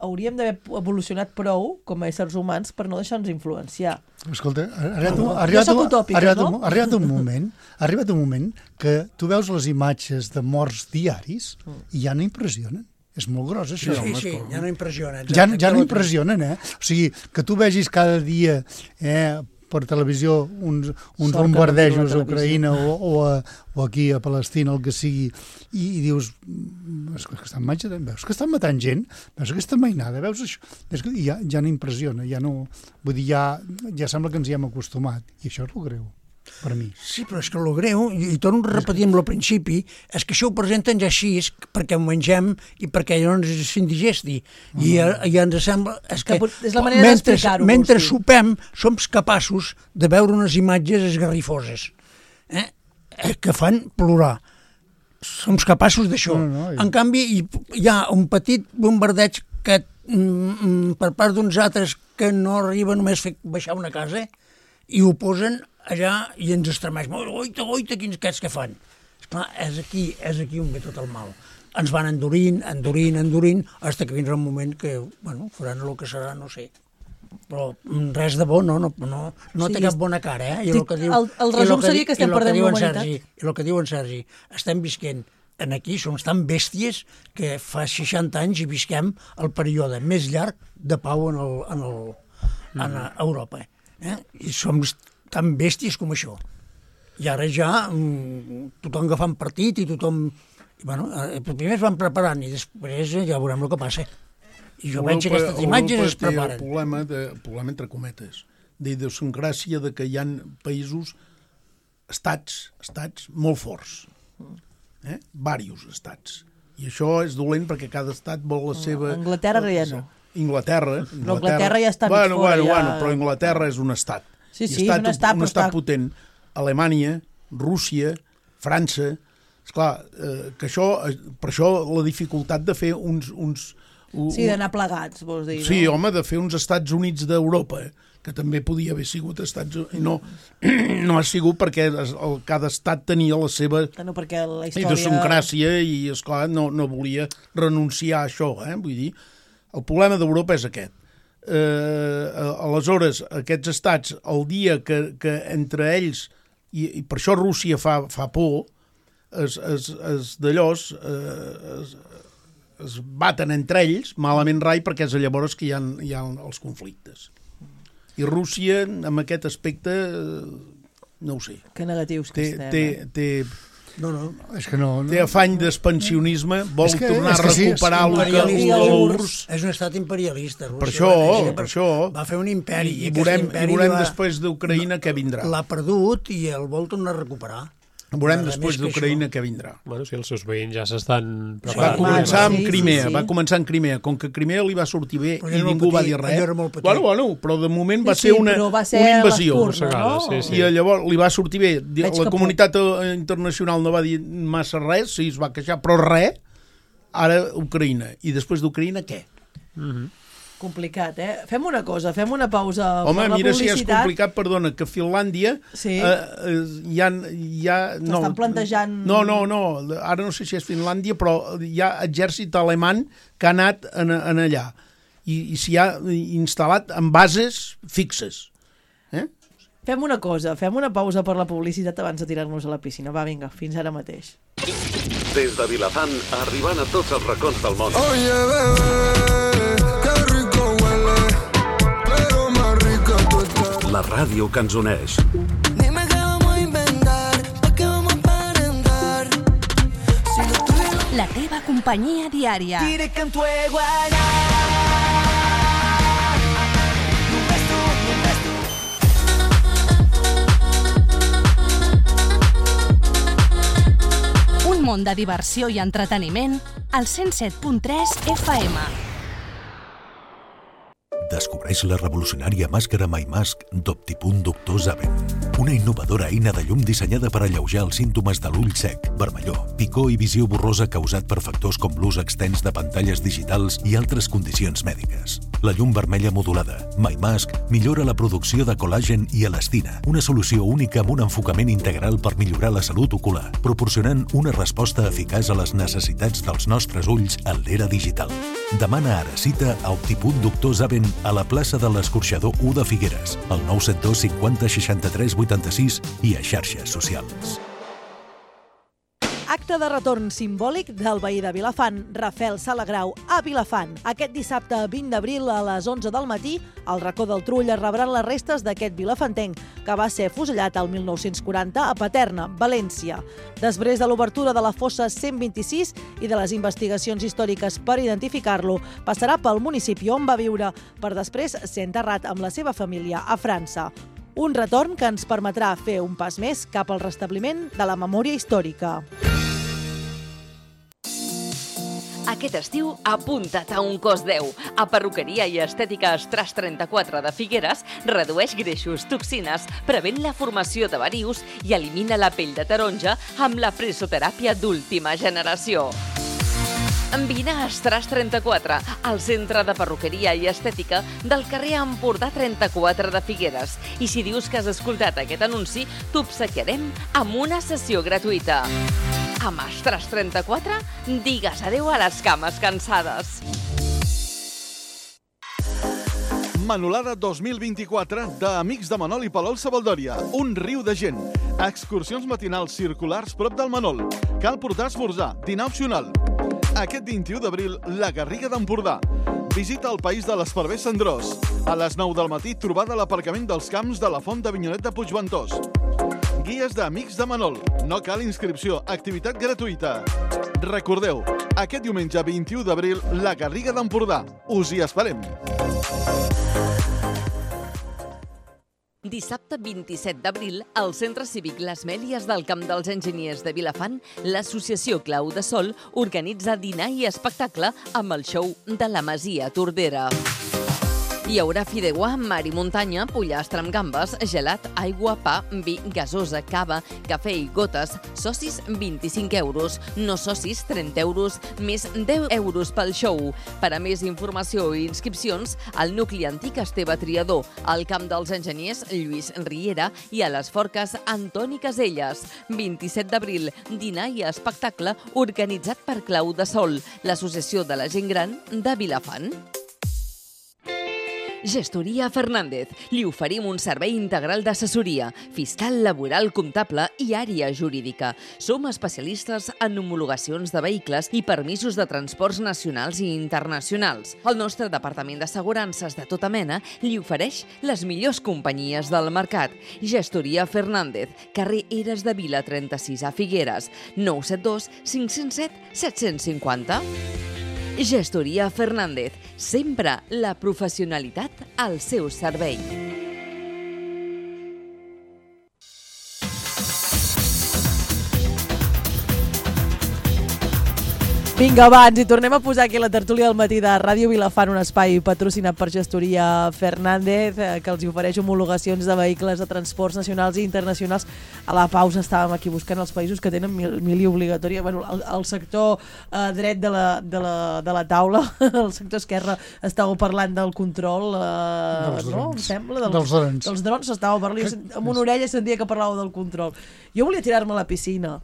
hauríem d'haver evolucionat prou com a éssers humans per no deixar-nos influenciar. Escolta, ha arribat, un, No, ha arribat, jo soc un, utòpica, ha arribat, no? un, ha arribat un moment, ha arribat un moment que tu veus les imatges de morts diaris i ja no impressionen. És molt gros, això. Sí, sí, ja no impressiona. Ja, ja no impressionen, eh? O sigui, que tu vegis cada dia eh, per televisió uns, uns Sort que no bombardejos miro la a Ucraïna o, o, a, o aquí a Palestina, el que sigui, i, i dius, "Mm, és que estan matant, veus que estan matant gent, veus aquesta mainada, veus això, és que ja, ja no impressiona, ja no, vull dir, ja, ja sembla que ens hi hem acostumat, i això és el greu, per mi. Sí, però és que el greu, i, i torno a repetir amb el principi, és que això ho presenten ja així perquè ho mengem i perquè no ens s'indigesti. I, i ens sembla... És Que que, pot- és la manera mentre, d'explicar-ho, mentre vols dir. sopem, som capaços de veure unes imatges esgarrifoses eh? eh, que fan plorar. Som capaços d'això. No, no, i- En canvi, hi, hi ha un petit bombardeig que mm, per part d'uns altres que no arriba només a fer baixar una casa i ho posen allà i ens estremeix. Oita, oita, quins aquests que fan. Esclar, és aquí, és aquí on ve tot el mal. Ens van endurint, endurint, endurint, fins que vindrà un moment que, bueno, faran el que serà, no sé. però res de bo, no, no, no, no Sí, té cap bona cara, eh? I dic, el, que diu, el- el i resum que seria di- que estem i el perdent diu en l'humanitat. Sergi, I el que diu en Sergi, estem visquent en aquí, som tan bèsties que fa seixanta anys i visquem el període més llarg de pau en, el, en, el, en Europa. Eh? I som tan bèsties com això. I ara ja mm, tothom agafant partit i tothom... I, bueno, eh, primer es van preparant i després ja veurem el que passa. I jo veig que aquestes imatges es preparen. El problema, de, el problema entre cometes, d'idiosincràsia de que hi ha països, estats, estats molt forts. Eh? Vàrios estats. I això és dolent perquè cada estat vol la seva... Anglaterra ja no. Inglaterra. Però Anglaterra ja està mig bueno, fora, bueno, ja- bueno, però Anglaterra és un estat. Sí, I sí, un estat, un però estat està- potent. Alemanya, Rússia, França... Esclar, eh, que això, eh, per això la dificultat de fer uns... uns un, Sí, d'anar plegats, vols dir, Sí, no? home, de fer uns Estats Units d'Europa, que també podia haver sigut Estats Units. No, no ha sigut perquè es, el, cada estat tenia la seva No, perquè la història... idiosincràsia i, esclar, no, no volia renunciar a això. Eh? Vull dir, el problema d'Europa és aquest. Eh, aleshores, aquests estats, el dia que, que entre ells, i, i per això Rússia fa, fa por, es, es, es d'allòs eh, es, es baten entre ells, malament rai, perquè és llavors que hi ha, hi ha els conflictes. I Rússia, en aquest aspecte, eh, no ho sé. Que negatius que Té, estem. té, eh? té, No, no. És que no... no... té afany d'expansionisme, vol És que- tornar és a que sí, recuperar és el que imperialista. el l'U R U R S S. És un estat imperialista. Rússia, Per això, va néixer per això. Va fer un imperi. I, i aquest veurem, imperi i veurem va- després d'Ucraïna què vindrà. L'ha perdut i el vol tornar a recuperar. Veurem Nada després més que d'Ucraïna això. què vindrà. Bueno, si els seus veïns ja s'estan Va preparant. començar amb Sí, sí, Crimea, sí. va començar amb Crimea. Com que Crimea li va sortir bé Però i era molt ningú va petit, dir res. allò era molt petit. Bueno, bueno, però de moment va Sí, ser sí, una, però va ser una invasió. l'espurna, no? Sí, sí. I llavors li va sortir bé. Veig La que comunitat eh, internacional no va dir massa res, sí, es va queixar, però res. Ara Ucraïna. I després d'Ucraïna, què? Complicat, eh? Fem una cosa, fem una pausa Home, per la mira si és publicitat. complicat, perdona, que Finlàndia Sí. eh, eh, hi ha... Hi ha no, T'estan plantejant- No, no, no, ara no sé si és Finlàndia, però hi ha exèrcit alemany que ha anat en, en allà i, i s'hi ha instal·lat en bases fixes. Eh? Fem una cosa, fem una pausa per la publicitat abans de tirar-nos a la piscina. Va, vinga, fins ara mateix. Des de Vilafant, arribant a tots els racons del món. Oye, bebé, qué rico huele, pero más rica tú estás. La ràdio que ens uneix. Dime qué vamos a inventar, pa' qué vamos a aparentar. Si lo tuyo La teva companyia diària. diré que en tu iguana. Només tu, només tu. Un món de diversió i entreteniment al cent set punt tres F M. Descobreix la revolucionària màscara MyMask d'Optipunt Doctor Zaven. Una innovadora eina de llum dissenyada per alleujar els símptomes de l'ull sec, vermellor, picor i visió borrosa causat per factors com l'ús extens de pantalles digitals i altres condicions mèdiques. La llum vermella modulada, MyMask, millora la producció de col·làgen i elastina, una solució única amb un enfocament integral per millorar la salut ocular, proporcionant una resposta eficaç a les necessitats dels nostres ulls en l'era digital. Demana ara cita a Optipunt Doctor Zaven a la plaça de l'Escorxador u de Figueres, al nou set dos cinquanta seixanta-tres vuitanta-sis i a xarxes socials. Acte de retorn simbòlic del veí de Vilafant, Rafel Salagrau, a Vilafant. Aquest dissabte vint d'abril a les onze del matí, al racó del Trull es rebran les restes d'aquest vilafantenc, que va ser fusellat el mil nou-cents quaranta a Paterna, València. Després de l'obertura de la fossa cent vint-i-sis i de les investigacions històriques per identificar-lo, passarà pel municipi on va viure, per després ser enterrat amb la seva família a França. Un retorn que ens permetrà fer un pas més cap al restabliment de la memòria històrica. Aquest estiu, apunta't a un cos deu. A Perruqueria i Estètica Estras trenta-quatre de Figueres redueix greixos, toxines, prevent la formació de varius i elimina la pell de taronja amb la frisoteràpia d'última generació. Vine a Estras trenta-quatre, al centre de perruqueria i estètica del carrer Empordà trenta-quatre de Figueres. I si dius que has escoltat aquest anunci, t'obsequiarem amb una sessió gratuïta. Amb Estras trenta-quatre, digues adeu a les cames cansades. Manolada dos mil vint-i-quatre d'Amics de Manol i Palol Sabaldòria. Un riu de gent. Excursions matinals circulars prop del Manol. Cal portar esmorzar, dinar opcional. Aquest vint-i-u d'abril, la Garriga d'Empordà. Visita el País de l'Esparver Cendrós. A les nou del matí, trobada a l'aparcament dels camps de la Font d'Avinyonet de Puigventós. Guies d'Amics de Manol. No cal inscripció, activitat gratuïta. Recordeu, aquest diumenge vint-i-u d'abril, la Garriga d'Empordà. Us hi esperem. Dissabte vint-i-set d'abril, al Centre Cívic Les Mèlies del Camp dels Enginyers de Vilafant, l'associació Clau de Sol organitza dinar i espectacle amb el show de la Masia Tordera. Hi haurà fideuà, mar i muntanya, pollastre amb gambes, gelat, aigua, pa, vi, gasosa, cava, cafè i gotes. Socis, vint-i-cinc euros. No socis, trenta euros, més deu euros pel show. Per a més informació i inscripcions, al nucli antic Esteve Triador, al Camp dels Enginyers Lluís Riera i a les Forques Antoni Caselles. vint-i-set d'abril, dinar i espectacle organitzat per Clau de Sol, l'associació de la gent gran de Vilafant. Gestoria Fernández. Li oferim un servei integral d'assessoria, fiscal, laboral, comptable i àrea jurídica. Som especialistes en homologacions de vehicles i permisos de transports nacionals i internacionals. El nostre departament d'assegurances de tota mena li ofereix les millors companyies del mercat. Gestoria Fernández, carrer Eres de Vila trenta-sis a Figueres, nou set dos cinc zero set set cinquanta. Gestoria Fernández, sempre la professionalitat al seu servei. Vinga, va, ens hi tornem a posar aquí la tertúlia del matí de Ràdio Vilafant, un espai patrocinat per Gestoria Fernández, que els ofereix homologacions de vehicles de transports nacionals i internacionals. A la pausa estàvem aquí buscant els països que tenen mil, mili obligatòria. Bueno, el, el sector eh, dret de la, de, la, de la taula, el sector esquerre, estàveu parlant del control, eh, dels no? Em sembla? Dels, dels drons. Dels drons estàveu parlant. Amb una orella sentia que parlàveu del control. Jo volia tirar-me a la piscina.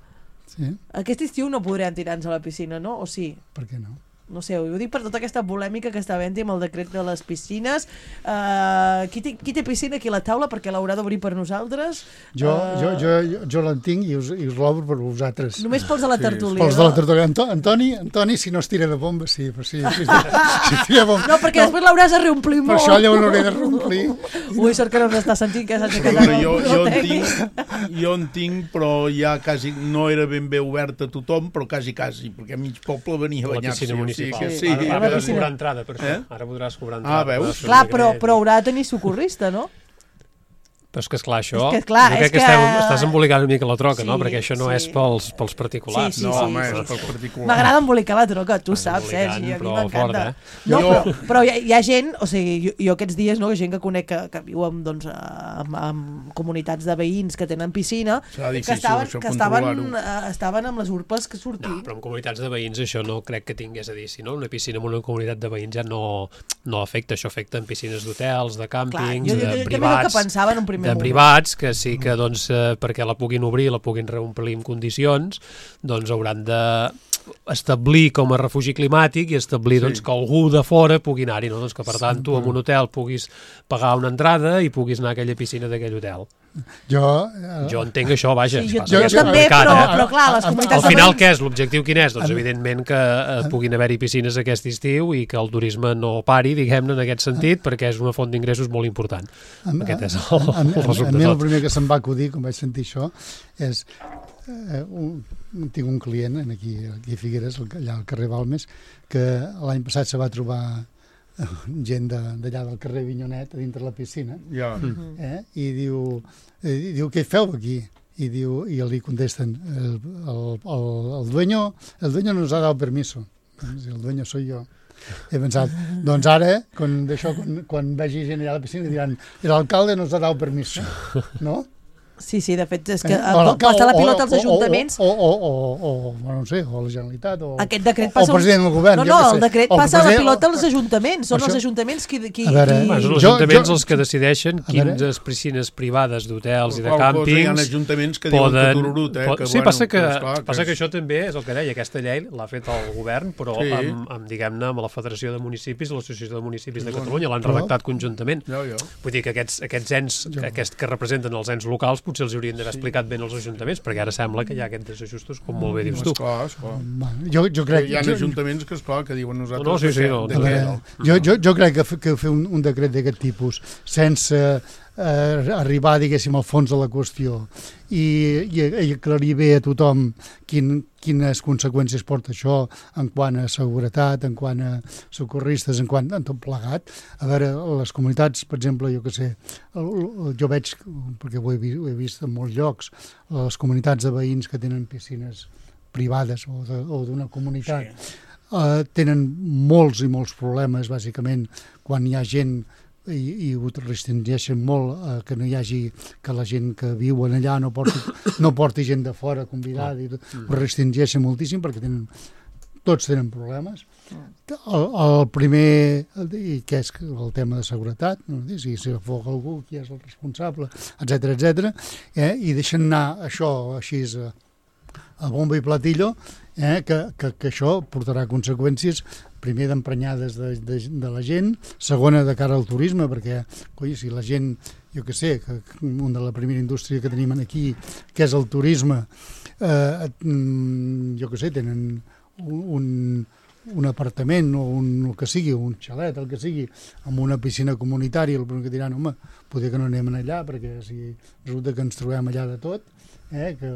Sí? Aquest estiu no podrem tirar-nos a la piscina, no? O sí? Per què no? No sé, ho dic per tota aquesta polèmica que està havent-hi amb el decret de les piscines. Uh, qui, té, qui té piscina aquí a la taula? Perquè l'haurà d'obrir per nosaltres. Jo, uh, jo, jo, jo, jo l'entenc i us, i us l'obro per vosaltres. Només pels de la tertúlia. Pels de la tertúlia. Anto, Antoni, Antoni, si no es tira de bomba, sí. Però sí, si, si tira bomba. No, perquè no, després l'hauràs de reomplir molt. Per això llavors l'hauré de reomplir. Ui, sort que no m'està sentint que s'ha aixecat. Bueno, jo, jo, en tinc, jo en tinc, però ja quasi no era ben bé obert a tothom, però quasi, quasi, perquè mig poble venia a banyar-se. La piscina municipal. Sí, sí. Ara podràs cobrar entrada, per això. Eh? Ara podràs cobrar entrada. Ah, veus? Clar, però, però haurà de tenir socorrista, no? Però és que, esclar, això... És que, esclar, jo crec és que, que... Estem, estàs embolicant una mica la troca, sí, no? Perquè això no sí. és pels, pels particulars. Sí, sí, no, sí, home, sí, és sí. pels particulars. M'agrada embolicar la troca, tu Vas saps, Sergi, a mi però m'encanta. fort, eh? No, Jo- però, però hi, ha, hi ha gent, o sigui, jo, jo aquests dies, no, gent que conec que, que viu amb, doncs, amb, amb comunitats de veïns que tenen piscina, Serà que difícil, estaven, això, que estaven, controlar-ho. eh, estaven amb les urpes que sortien. No, però en comunitats de veïns això no crec que tingués a dir. Si no, una piscina en una comunitat de veïns ja no, no afecta. Això afecta en piscines d'hotels, de càmpings, jo, jo, jo, de jo, també privats, el que pensava en un primer de moment. privats, que sí que doncs, eh, perquè la puguin obrir, la puguin reomplir en condicions, doncs hauran de establir com a refugi climàtic i establir Sí. doncs, que algú de fora pugui anar-hi, no? Doncs que per tant tu en un hotel puguis pagar una entrada i puguis anar a aquella piscina d'aquell hotel. Jo... Eh, Jo entenc això, vaja. Sí, jo, passa jo, que és també, complicat, però, eh? però clar, les Al comunitats Al de final, veïns... què és? L'objectiu quin és? Doncs evidentment que eh, puguin haver-hi piscines aquest estiu i que el turisme no pari, diguem-ne, en aquest sentit, perquè és una font d'ingressos molt important. Aquest és el, a, a, el resum a de mi el tot. primer que se'm va acudir quan vaig sentir això és eh, un, tinc un client aquí, aquí a Figueres, allà al carrer Balmes, que l'any passat se va trobar gent d'allà del carrer Vinyonet a dintre la piscina, Ja. eh? I diu, eh, diu què feu aquí? I diu, i li contesten el, el, el, el dueño el dueño nos ha dado permiso. El dueño soy yo. He pensat, doncs ara, quan, d'això, quan, quan vegi gent allà a la piscina, diran, el alcalde nos ha dado permiso, no? Sí, sí, de fet, és que eh, passa la pilota als ajuntaments... O, o, o, o, o, no sé, o la Generalitat, o, Aquest decret o passa el president del govern. No, no, el decret o passa president, la pilota als o... ajuntaments. Són això... els ajuntaments qui... qui, veure, qui... Són els ajuntaments jo, els que decideixen quines piscines privades d'hotels i de càmpings... Hi ha ajuntaments que diuen que tururut, eh? Que, sí, bueno, passa, que, que, esclar, passa que, que això també és el que deia, aquesta llei l'ha fet el govern, però sí. amb, amb, diguem-ne, amb la Federació de Municipis i l'Associació de Municipis de Catalunya l'han redactat conjuntament. Jo, jo. Vull dir que aquests, aquests ens aquests que representen els ens locals potser els haurien d'haver sí. explicat ben als ajuntaments, perquè ara sembla que hi ha aquests desajustos, com molt bé dius tu. Esclar, esclar. Jo, jo crec, hi ha jo, ajuntaments que, esclar, que diuen nosaltres... No, no, sí, sí, no, de veure, jo, jo, jo crec que, que fer un, un decret d'aquest tipus sense eh, arribar, diguéssim, al fons de la qüestió i, i, i aclarir bé a tothom quin, quines conseqüències porta això en quant a seguretat, en quant a socorristes, en quant a tot plegat. A veure, les comunitats, per exemple, jo que sé, el, el, jo veig, perquè ho he, vist, ho he vist en molts llocs, les comunitats de veïns que tenen piscines privades o d'una comunitat, sí. eh, tenen molts i molts problemes, bàsicament, quan hi ha gent i, i ho restringeixen molt eh, que no hi hagi, que la gent que viuen allà no porti, no porti gent de fora convidada, i ho restringeixen moltíssim perquè tenen, tots tenen problemes. El, el primer, i que és el tema de seguretat, no? Si s'afoga algú, qui és el responsable, etcètera, etcètera, eh? I deixen anar això així a, a bomba i platillo, eh? que, que, que això portarà conseqüències primer d'emprenyades de, de, de la gent, segona de cara al turisme, perquè coi, si la gent, jo que sé, que una de la primera indústria que tenim aquí, que és el turisme, eh, jo que sé, tenen un, un apartament o un, el que sigui, un xalet, el que sigui, amb una piscina comunitària, el primer que diran, home, poder que no anem allà, perquè si resulta que ens trobem allà de tot, eh, que,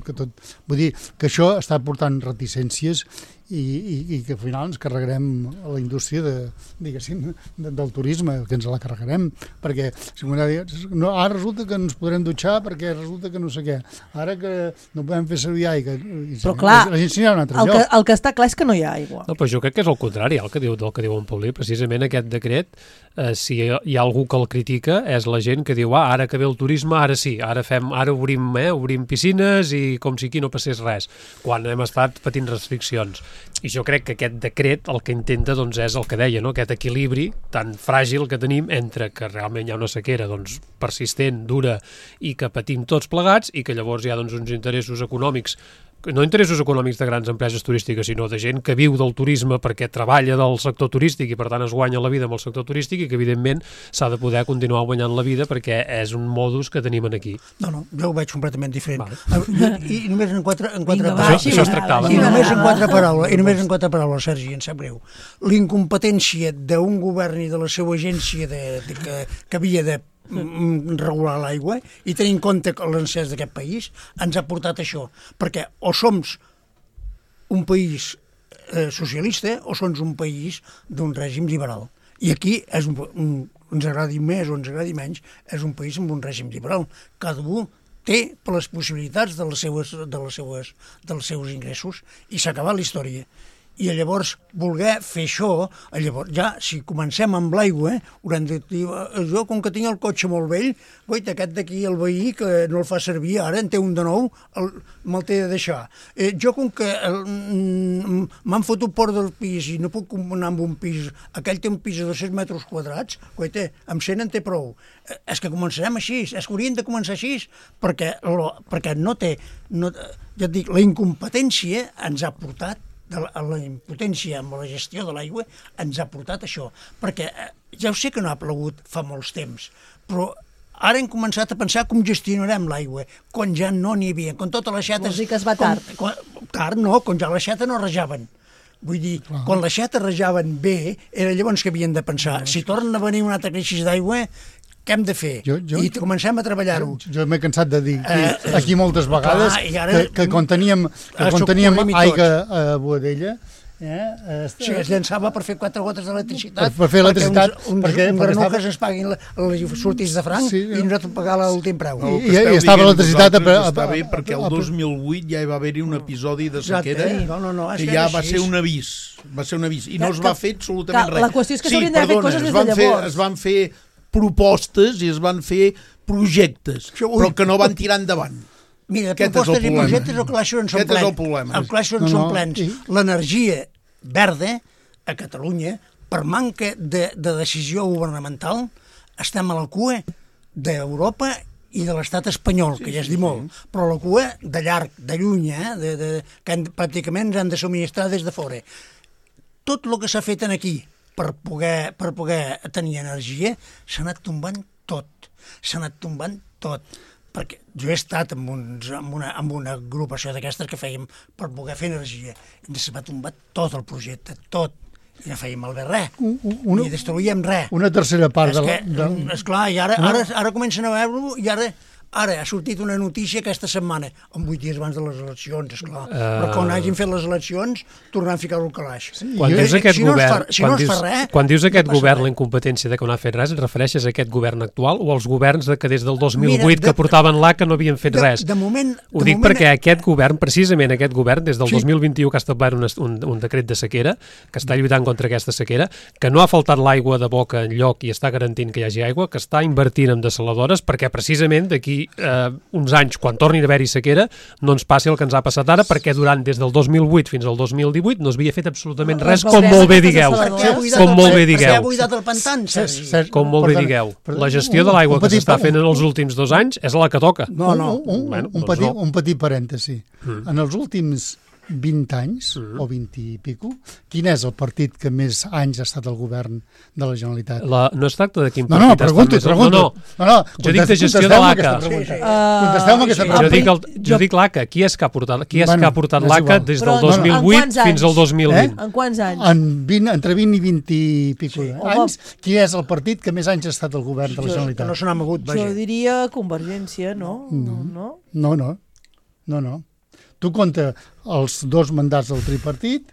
que tot... Vull dir que això està portant reticències i, i, i que al final ens carregarem a la indústria de, diguéssim, de, del turisme, que ens la carregarem, perquè si no, ara resulta que ens podrem dutxar perquè resulta que no sé què, ara que no podem fer servir aigua, però clar, la gent s'anirà a un altre el lloc. Que, el que està clar és que no hi ha aigua. No, però jo crec que és el contrari, el que diu, del que diu en Paulí, precisament aquest decret, eh, si hi ha algú que el critica, és la gent que diu, ah, ara que ve el turisme, ara sí, ara fem, ara obrim, eh, obrim piscines i com si aquí no passés res, quan hem estat patint restriccions. I jo crec que aquest decret el que intenta doncs, és el que deia, no? Aquest equilibri tan fràgil que tenim entre que realment hi ha una sequera doncs, persistent, dura i que patim tots plegats i que llavors hi ha doncs, uns interessos econòmics, no interessos econòmics de grans empreses turístiques, sinó de gent que viu del turisme perquè treballa del sector turístic i per tant es guanya la vida amb el sector turístic i que evidentment s'ha de poder continuar guanyant la vida perquè és un modus que tenim aquí. No, no, jo ho veig completament diferent. Vale. I, I només en quatre, en quatre Vinga, paraules. Això, això es tractava. I només en quatre paraules, i només en quatre paraules, Sergi, em sap greu. L'incompetència d'un govern i de la seva agència de, de, que, que havia de regular l'aigua i tenir en compte l'encès d'aquest país ens ha portat això, perquè o som un país eh, socialista o som un país d'un règim liberal i aquí és un, un, ens agradi més o ens agradi menys, és un país amb un règim liberal, cada un té per les possibilitats de les seues, de les seues, dels seus ingressos i s'ha acabat la història. I llavors voler fer això, llavors ja, si comencem amb l'aigua, haurem de dir, jo com que tinc el cotxe molt vell, guaita, aquest d'aquí, el veí, que no el fa servir, ara en té un de nou, el, me'l té de deixar. Eh, jo com que m'han fotut fora del pis i no puc anar amb un pis, aquell té un pis de dos-cents metres quadrats, guaita, amb cent en té prou. Eh, és que començarem així, és que haurien de començar així, perquè, perquè no té, no, ja et dic, la incompetència ens ha portat de la, la impotència amb la gestió de l'aigua ens ha portat això, perquè eh, ja ho sé que no ha plogut fa molts temps, però ara hem començat a pensar com gestionarem l'aigua, quan ja no n'hi havia, quan totes les xates... Vols dir que es va tard? Quan, quan, tard no, quan ja les xates no rejaven. Vull dir, ah. quan les xates rejaven bé, era llavors que havien de pensar, ah, si tornen a venir una altra crisi d'aigua, què hem de fer? Jo, jo, I comencem a treballar-ho. Jo, jo m'he cansat de dir aquí, eh, aquí moltes vegades clar, ara, que, que quan teníem, que quan teníem aigua a Boadella, eh, sí, es llançava per fer quatre gotes d'electricitat, per, per fer electricitat, perquè uns, uns, perquè, uns perquè granuques estava... es paguin les sortís de franc sí, i nosaltres pagar l'últim preu. I, i, i estava l'electricitat... Està bé, perquè el dos mil vuit ja hi va haver-hi un episodi de sequera no, no, no, que ja va ser un avís, va ser un avís, i no es va fer absolutament res. La qüestió és que s'haurien d'haver fet coses des de llavors. Es van fer propostes i es van fer projectes, però que no van tirar endavant. Mira, Aquest propostes és el i problema. projectes el calaix on són Aquest és plens. el problema. El calaix on No, són no, plens. i- L'energia verda a Catalunya, per manca de, de decisió governamental, estem a la cua d'Europa i de l'estat espanyol, sí, que ja es diu molt, sí. Però la cua de llarg, de lluny, eh? de, de, que han, pràcticament ens han de subministrar des de fora. Tot el que s'ha fet aquí per poder, per poder tenir energia s'ha anat tombant tot, s'ha anat tombant tot, perquè jo he estat en, uns, en, una, en una agrupació d'aquestes que fèiem per poder fer energia, ens va tombar tot el projecte, tot, i no fèiem malbé res, una, ni destruïem res. Una tercera part és de la... que, De... esclar, i ara, No. ara, ara comencen a veure-ho, i ara, ara ha sortit una notícia aquesta setmana, en vuit dies abans de les eleccions, esclar, uh... però quan hagin fet les eleccions, tornaran a ficar-ho al calaix. Sí, quan dius si, aquest si no govern, es fa, si quan, no es dius, fa res, quan dius aquest no govern res. la incompetència de que no ha fet res, et refereixes a aquest govern actual o als governs de que des del dos mil vuit Mira, de, que portaven l'A que no havien fet de, res? De moment... Ho de dic moment, perquè aquest govern, precisament aquest govern, des del Sí. dos mil vint-i-u que ha establert un, un, un decret de sequera, que està lluitant contra aquesta sequera, que no ha faltat l'aigua de boca enlloc i està garantint que hi hagi aigua, que està invertint en dessaladores perquè precisament d'aquí eh, uns anys, quan torni a haver-hi sequera, no ens passi el que ens ha passat ara, perquè durant des del dos mil vuit fins al dos mil divuit no es havia fet absolutament res, Les com molt bé aquestes digueu. dessaladores. Com molt bé Perquè ha digueu. buidat el pantan, Sergi. Ser- Com molt bé perdona, digueu. perdona, La gestió un- de l'aigua un que petit- s'està fent en els últims dos anys és la que toca. No, no. Un, un, Bueno, un, doncs petit, no. un petit parèntesi. Mm. En els últims vint anys, mm. o vint i pico, quin és el partit que més anys ha estat al govern de la Generalitat? La, no es tracta de quin No, no, partit pregunto, està més... pregunto. No, no. no, no Jo dic de gestió de contesteu-me l'A C A. aquesta pregunta. Sí, sí. Uh, Contesteu-me aquesta Jo pregunta. dic, el, jo dic l'A C A. Qui és que ha portat, qui és Bueno, que ha portat és l'A C A igual. des Però del dos mil en vuit quants fins al anys? dos mil vint? En quants anys? En vint, entre vint i vint i pico Sí. anys, qui és el partit que més anys ha estat al govern de la Que Generalitat? no se n'ha mogut, vaja. Jo diria Convergència, no? No. no? No, no. No, no. Tu compta els dos mandats del tripartit,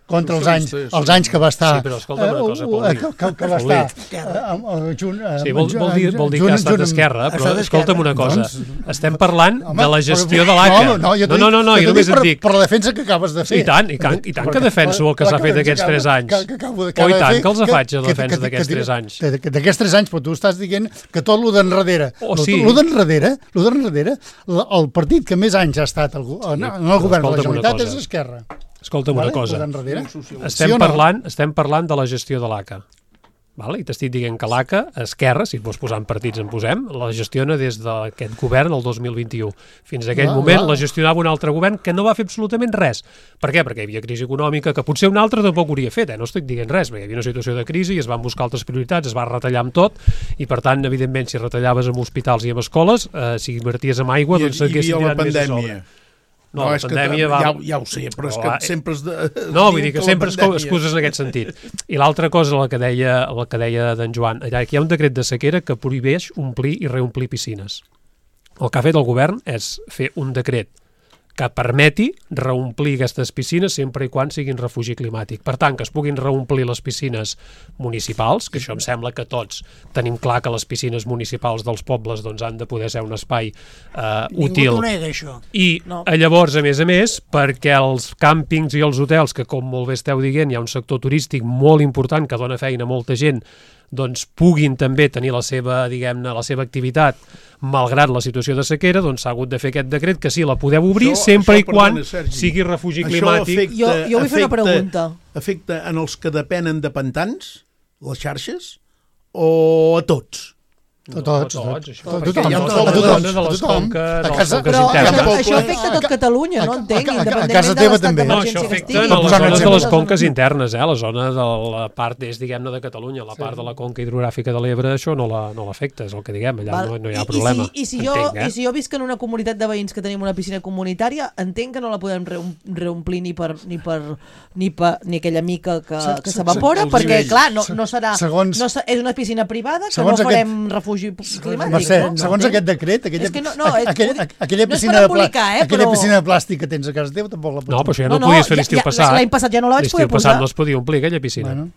contra els anys, Socialista, els anys que va estar... Sí, però escolta'm una cosa, Paulí. eh, que, que, que va Paulí. estar... eh, amb, eh, junt, eh, Sí, vol, vol, dir, vol dir junt- que ha estat junt amb- d'esquerra, però estat d'esquerra. escolta'm una cosa. Doncs- Estem parlant Home, de la però- gestió de l'A C A. No, no, jo no, no, no, no, jo jo només per, et dic... Per la defensa que acabes de fer. I tant, i tant, i tant que Perquè- defenso el que s'ha clar fet que aquests acabo- tres anys. que- que acabo de- Oh, i de tant fer, que els faig, la que- defensa que- d'aquests que- tres anys. de- de- D'aquests tres anys, però tu estàs dient que tot lo d'enrere, Oh, lo- sí. lo d'enrere, lo d'enrere, la- el partit que més anys ha estat al go- en, en el govern de la escolta'm una Generalitat cosa. és Esquerra. Escolta'm una Vale? cosa. Lo d'enrere. Estem, Sí o no? parlant, estem parlant de la gestió de l'A C A. Vale? I t'estic dient que l'A C A, Esquerra, si et vols posar en partits en posem, la gestiona des d'aquest govern el dos mil vint-i-u. Fins a aquell Va, moment va. la gestionava un altre govern que no va fer absolutament res. Per què? Perquè hi havia crisi econòmica, que potser un altre tampoc hauria fet, eh? No estic dient res, perquè hi havia una situació de crisi i es van buscar altres prioritats, es va retallar amb tot, i per tant, evidentment, si retallaves amb hospitals i amb escoles, eh, si inverties en aigua, Hi, doncs hi s'haguessin havia la tirat més a pandèmia. sobre. No, la és que pandèmia va... ja, ja ho sé, però és que Però, eh, sempre es... De, es No, vull diu dir que la sempre es pandèmia. excuses en aquest sentit. I l'altra cosa, la que deia, la que deia d'en Joan, allà que hi ha un decret de sequera que prohibeix omplir i reomplir piscines. El que ha fet el govern és fer un decret que permeti reomplir aquestes piscines sempre i quan siguin refugi climàtic. Per tant, que es puguin reomplir les piscines municipals, que això em sembla que tots tenim clar que les piscines municipals dels pobles doncs, han de poder ser un espai eh, Ningú útil. t'ho nega, això. I No. no. llavors, a més a més, perquè els càmpings i els hotels, que com molt bé esteu dient, hi ha un sector turístic molt important que dona feina a molta gent, doncs puguin també tenir la seva, diguem-ne, la seva activitat malgrat la situació de sequera, doncs s'ha hagut de fer aquest decret que sí, la podeu obrir Això- sempre això, i quan perdona, Sergi, sigui refugi això climàtic. afecta- Jo, jo vull fer una afecta- pregunta. Afecta en els que depenen de pantans, les xarxes, o a tots? A tots, No, a tots, tots. això, A perquè tothom, hi ha a tota tothom, la a zona de tothom, les a tothom. conques, A de les casa- conques Però internes. això, Tampoc- això afecta tot Catalunya, no a- entenc, a- a- a independentment casa de teva l'estat també. No, això d'emergència que afecta estigui. a les posar un zones de exemple. les conques internes, eh? La zona de la part és, diguem-ne, de Catalunya, la part de la conca hidrogràfica de l'Ebre, això no la, no l'afecta, és el que diguem, allà Val. no, no hi ha I, problema. I si, i, si jo, Entenc, eh? I si jo visc en una comunitat de veïns que tenim una piscina comunitària, entenc que no la podem reom- reomplir ni per, ni per, ni per ni aquella mica que, Se- que se- s'evapora, els perquè, nivells. clar, no, no serà... Segons- no, se- és una piscina privada que segons no aquest- farem refugi climàtic, Mercè, no? segons No aquest decret, aquella, És que no- no, aqu- és- aquella, ho dic- aquella, no és piscina per de plà- embolicar, eh, aquella però- piscina de plàstic que tens a casa teva tampoc la pots... No, però això ja No, no, no, podies fer ja- l'estiu ja- passat. l'any passat ja no la vaig poder L'estiu passat posar. no es podia omplir aquella piscina. Bueno,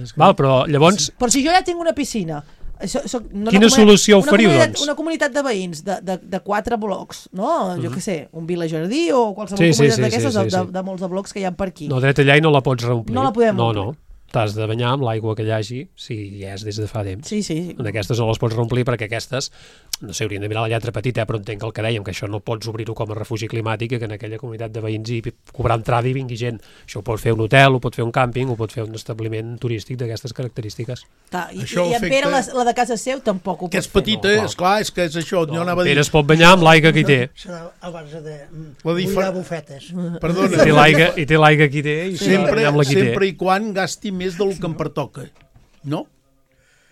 és que- Val, però llavors, Però si jo ja tinc una piscina... Soc, soc, no, Quina una comuni- solució una oferiu, comunitat, doncs? Una comunitat de veïns de, de, de quatre blocs, no? Jo què sé, un Vila Jardí o qualsevol Sí, sí, comunitat sí, d'aquestes sí, sí, de, de, sí. de molts de blocs que hi ha per aquí. no, dret allà i no la pots reomplir. No la podem No, omplir. no. t'has de banyar amb l'aigua que hi hagi, si hi és des de fa temps. Sí, sí. En aquestes no les pots reomplir perquè aquestes, no sé, haurien de mirar la lletra petita, eh, però entenc el que dèiem, que això no pots obrir-ho com a refugi climàtic i que en aquella comunitat de veïns hi cobrar entrada i vingui gent. Això ho pot fer un hotel, ho pot fer un càmping, ho pot fer un establiment turístic d'aquestes característiques. Ta, I, Això i en afecta- Pere, la, la de casa seu, tampoc ho Que pot és fer. petita, No, clar. esclar, és que és això, jo anava a dir... Pere es pot banyar amb l'aigua que hi té. Serà a base de La buidar difer- bufetes. I Perdona, té l'aigua i té l'aigua que hi té i s'ha de sempre, banyar amb la que hi té. sempre i quan gasti més del que em pertoca, no?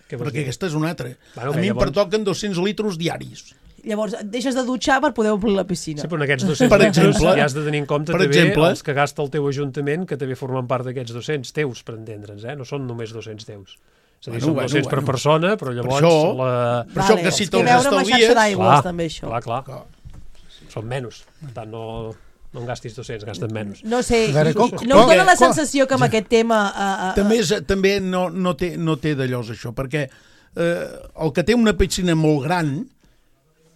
Què vols Perquè dir? aquesta és una altra. Bueno, A que mi em llavors- pertoquen dos-cents litres diaris. Llavors, et deixes de dutxar per poder omplir la piscina. Sí, però en aquests dos-cents Per litres exemple, ja has de tenir en compte per també exemple, els que gasta el teu ajuntament, que també formen part d'aquests dos-cents teus, per entendre'ns, eh? No són només dos-cents teus. És a dir, Bueno, són bueno, dos-cents per bueno. persona, però llavors... això- la... Per això que si és te'ls que veure amb la xarxa estalvies... d'aigües, Clar, també, això. clar, clar. Són menys. Per tant, no, no en gastis dos-cents, gasten menys. No sé, A veure, com- no us com- dona la com- sensació que amb aquest tema... Uh, uh, També, és, també no, no té, no té d'allò això, perquè eh, el que té una piscina molt gran,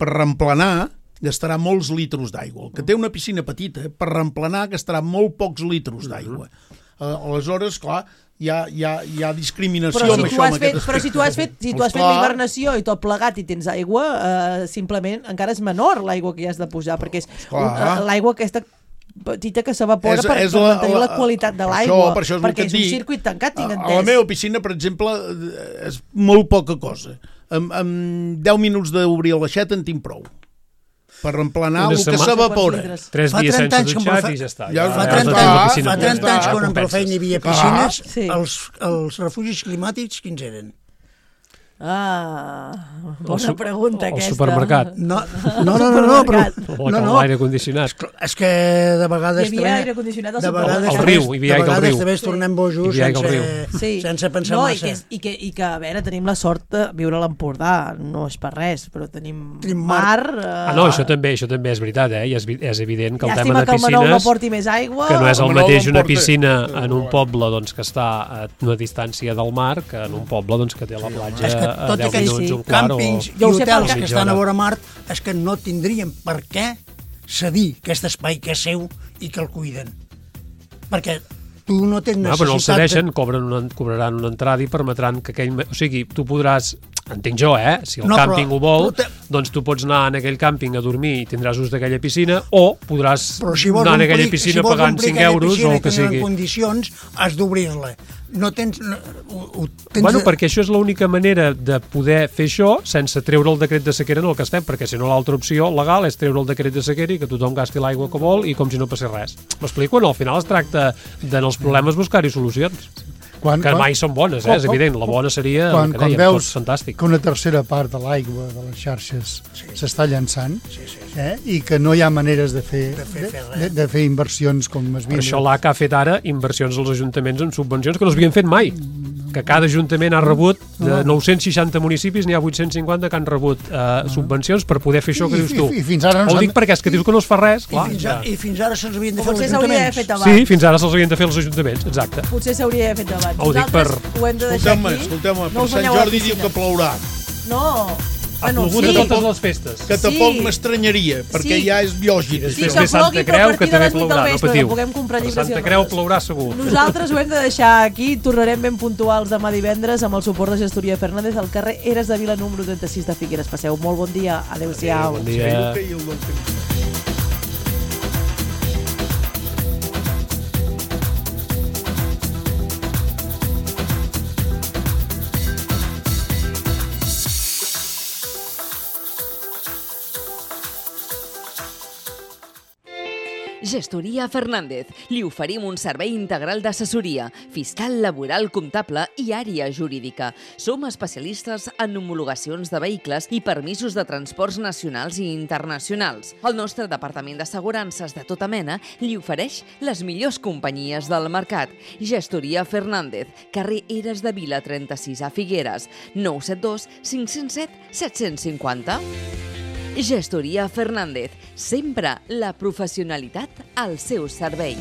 per reemplenar, gastarà molts litros d'aigua. El que té una piscina petita, per reemplenar, gastarà molt pocs litros d'aigua. Eh, aleshores, clar, hi ha, hi ha, hi ha discriminació Però amb si, tu això. has amb fet, aquest però si tu has fet, si tu has fet Esclar. l'hibernació i tot plegat i tens aigua, uh, simplement encara és menor l'aigua que hi has de posar, perquè és un, Esclar. uh, l'aigua aquesta petita que s'evapora És- per, és per la- mantenir la, la- qualitat de per l'aigua, això- per això és el perquè que és et un dic. circuit tancat, tinc A, entès. a la meva piscina, per exemple, eh, és molt poca cosa. En, en deu minuts d'obrir l'aixeta en tinc prou. Per reemplenar Una el que setmana- s'evapora. Tres Fa dies trenta sense anys que em dutxar fa- i ja està. Ja- Ja, Fa ja trenta, has de tenir la anys, piscina fa plena. trenta anys, Ja quan en compenses. Profeina hi havia Clar. piscines, Sí. els, els refugis climàtics, quins eren? Ah, El bona su- pregunta el aquesta. supermercat. No, no, no, no, no però... O No, no, l'aire condicionat. és que de vegades... Hi havia aire condicionat al de supermercat. vegades Al també- riu, hi havia aigua al De vegades riu. també es tornem bojos Hi havia aigua al sense, Sí. sense pensar no, massa. i que, és- i, que, I que, a veure, tenim la sort de viure a l'Empordà, no és per res, però tenim, Tenim mar... mar. eh, Ah, no, això també, això també és veritat, eh? I és, vi- és evident que el tema Llàstima de que el Manol no piscines... porti més aigua. que no és el El Manol mateix no una porta- piscina en un poble doncs, que està a una distància del mar que en un poble doncs, que té la platja És que a tots deu aquells minuts, sí. un quart càmpings o... i Jo ho sé hotels perquè- que estan a vora mar és que no tindrien per què cedir aquest espai que és seu i que el cuiden. Perquè tu no tens No, necessitat... però no el cedeixen, cobren una, cobraran una entrada i permetran que aquell... O sigui, tu podràs... Entenc jo, eh? Si el No, però- càmping ho vol, però te- doncs tu pots anar en aquell càmping a dormir i tindràs ús d'aquella piscina, o podràs Però si vols anar en aquella omplir- piscina si vols pagant omplir cinc aquella euros o piscina el que i tenir sigui. en condicions, has d'obrir-la. No tens... No, ho, ho tens Bueno, de- perquè això és l'única manera de poder fer això sense treure el decret de sequera en el que estem, perquè si no l'altra opció legal és treure el decret de sequera i que tothom gasti l'aigua que vol i com si no passés res. M'explico? No, al final es tracta de en els problemes buscar-hi solucions. Quan, Que mai són bones, eh? És evident. La bona seria, quan, el que quan dèiem, veus tot fantàstic. que una tercera part de l'aigua de les xarxes s'està llençant eh, i que no hi ha maneres de fer, de fer- fer de, de fer inversions com es Per això l'A C A ha fet ara inversions als ajuntaments en subvencions que no s'havien fet mai. Que cada ajuntament ha rebut, de nou-cents seixanta municipis, n'hi ha vuit-cents cinquanta que han rebut eh, subvencions per poder fer això que I- dius tu. i- i fins ara no Ho s'han- dic perquè és que dius que no es fa res, I clar. fins, ja. a, I fins ara se'ls havien de fer els Potser s'hauria d'haver fet ajuntaments. abans. Sí, fins ara se'ls havien de fer els ajuntaments, exacte. Potser s'hauria d'haver fet abans. Ho dic Nosaltres per- ho hem de deixar Escolteu-me, aquí. escolteu-me, No per us Sant banyeu a la Jordi diu piscina. que plourà. No. Ha Bueno, plogut sí. a totes les festes. Que Sí. tampoc m'estranyaria, perquè Sí. ja és lògic. Després Sí, ve que Santa plogui, però a Creu, que partir de també les vuit del plourà, no vespre, patiu. que puguem comprar Per llibres i Santa Creu rodes. plourà segur. Nosaltres ho hem de deixar aquí. Tornarem ben puntuals demà divendres amb el suport de Gestoria Fernández al carrer Eres de Vila número trenta-sis de Figueres. Passeu molt bon dia. Adéu-siau. Bon dia. I el del temps. Gestoria Fernández. Li oferim un servei integral d'assessoria, fiscal, laboral, comptable i àrea jurídica. Som especialistes en homologacions de vehicles i permisos de transports nacionals i internacionals. El nostre departament d'assegurances de tota mena li ofereix les millors companyies del mercat. Gestoria Fernández, carrer Eres de Vila trenta-sis a Figueres, nou set dos cinc zero set set cinc zero. Gestoria Fernández, sempre la professionalitat al seu servei.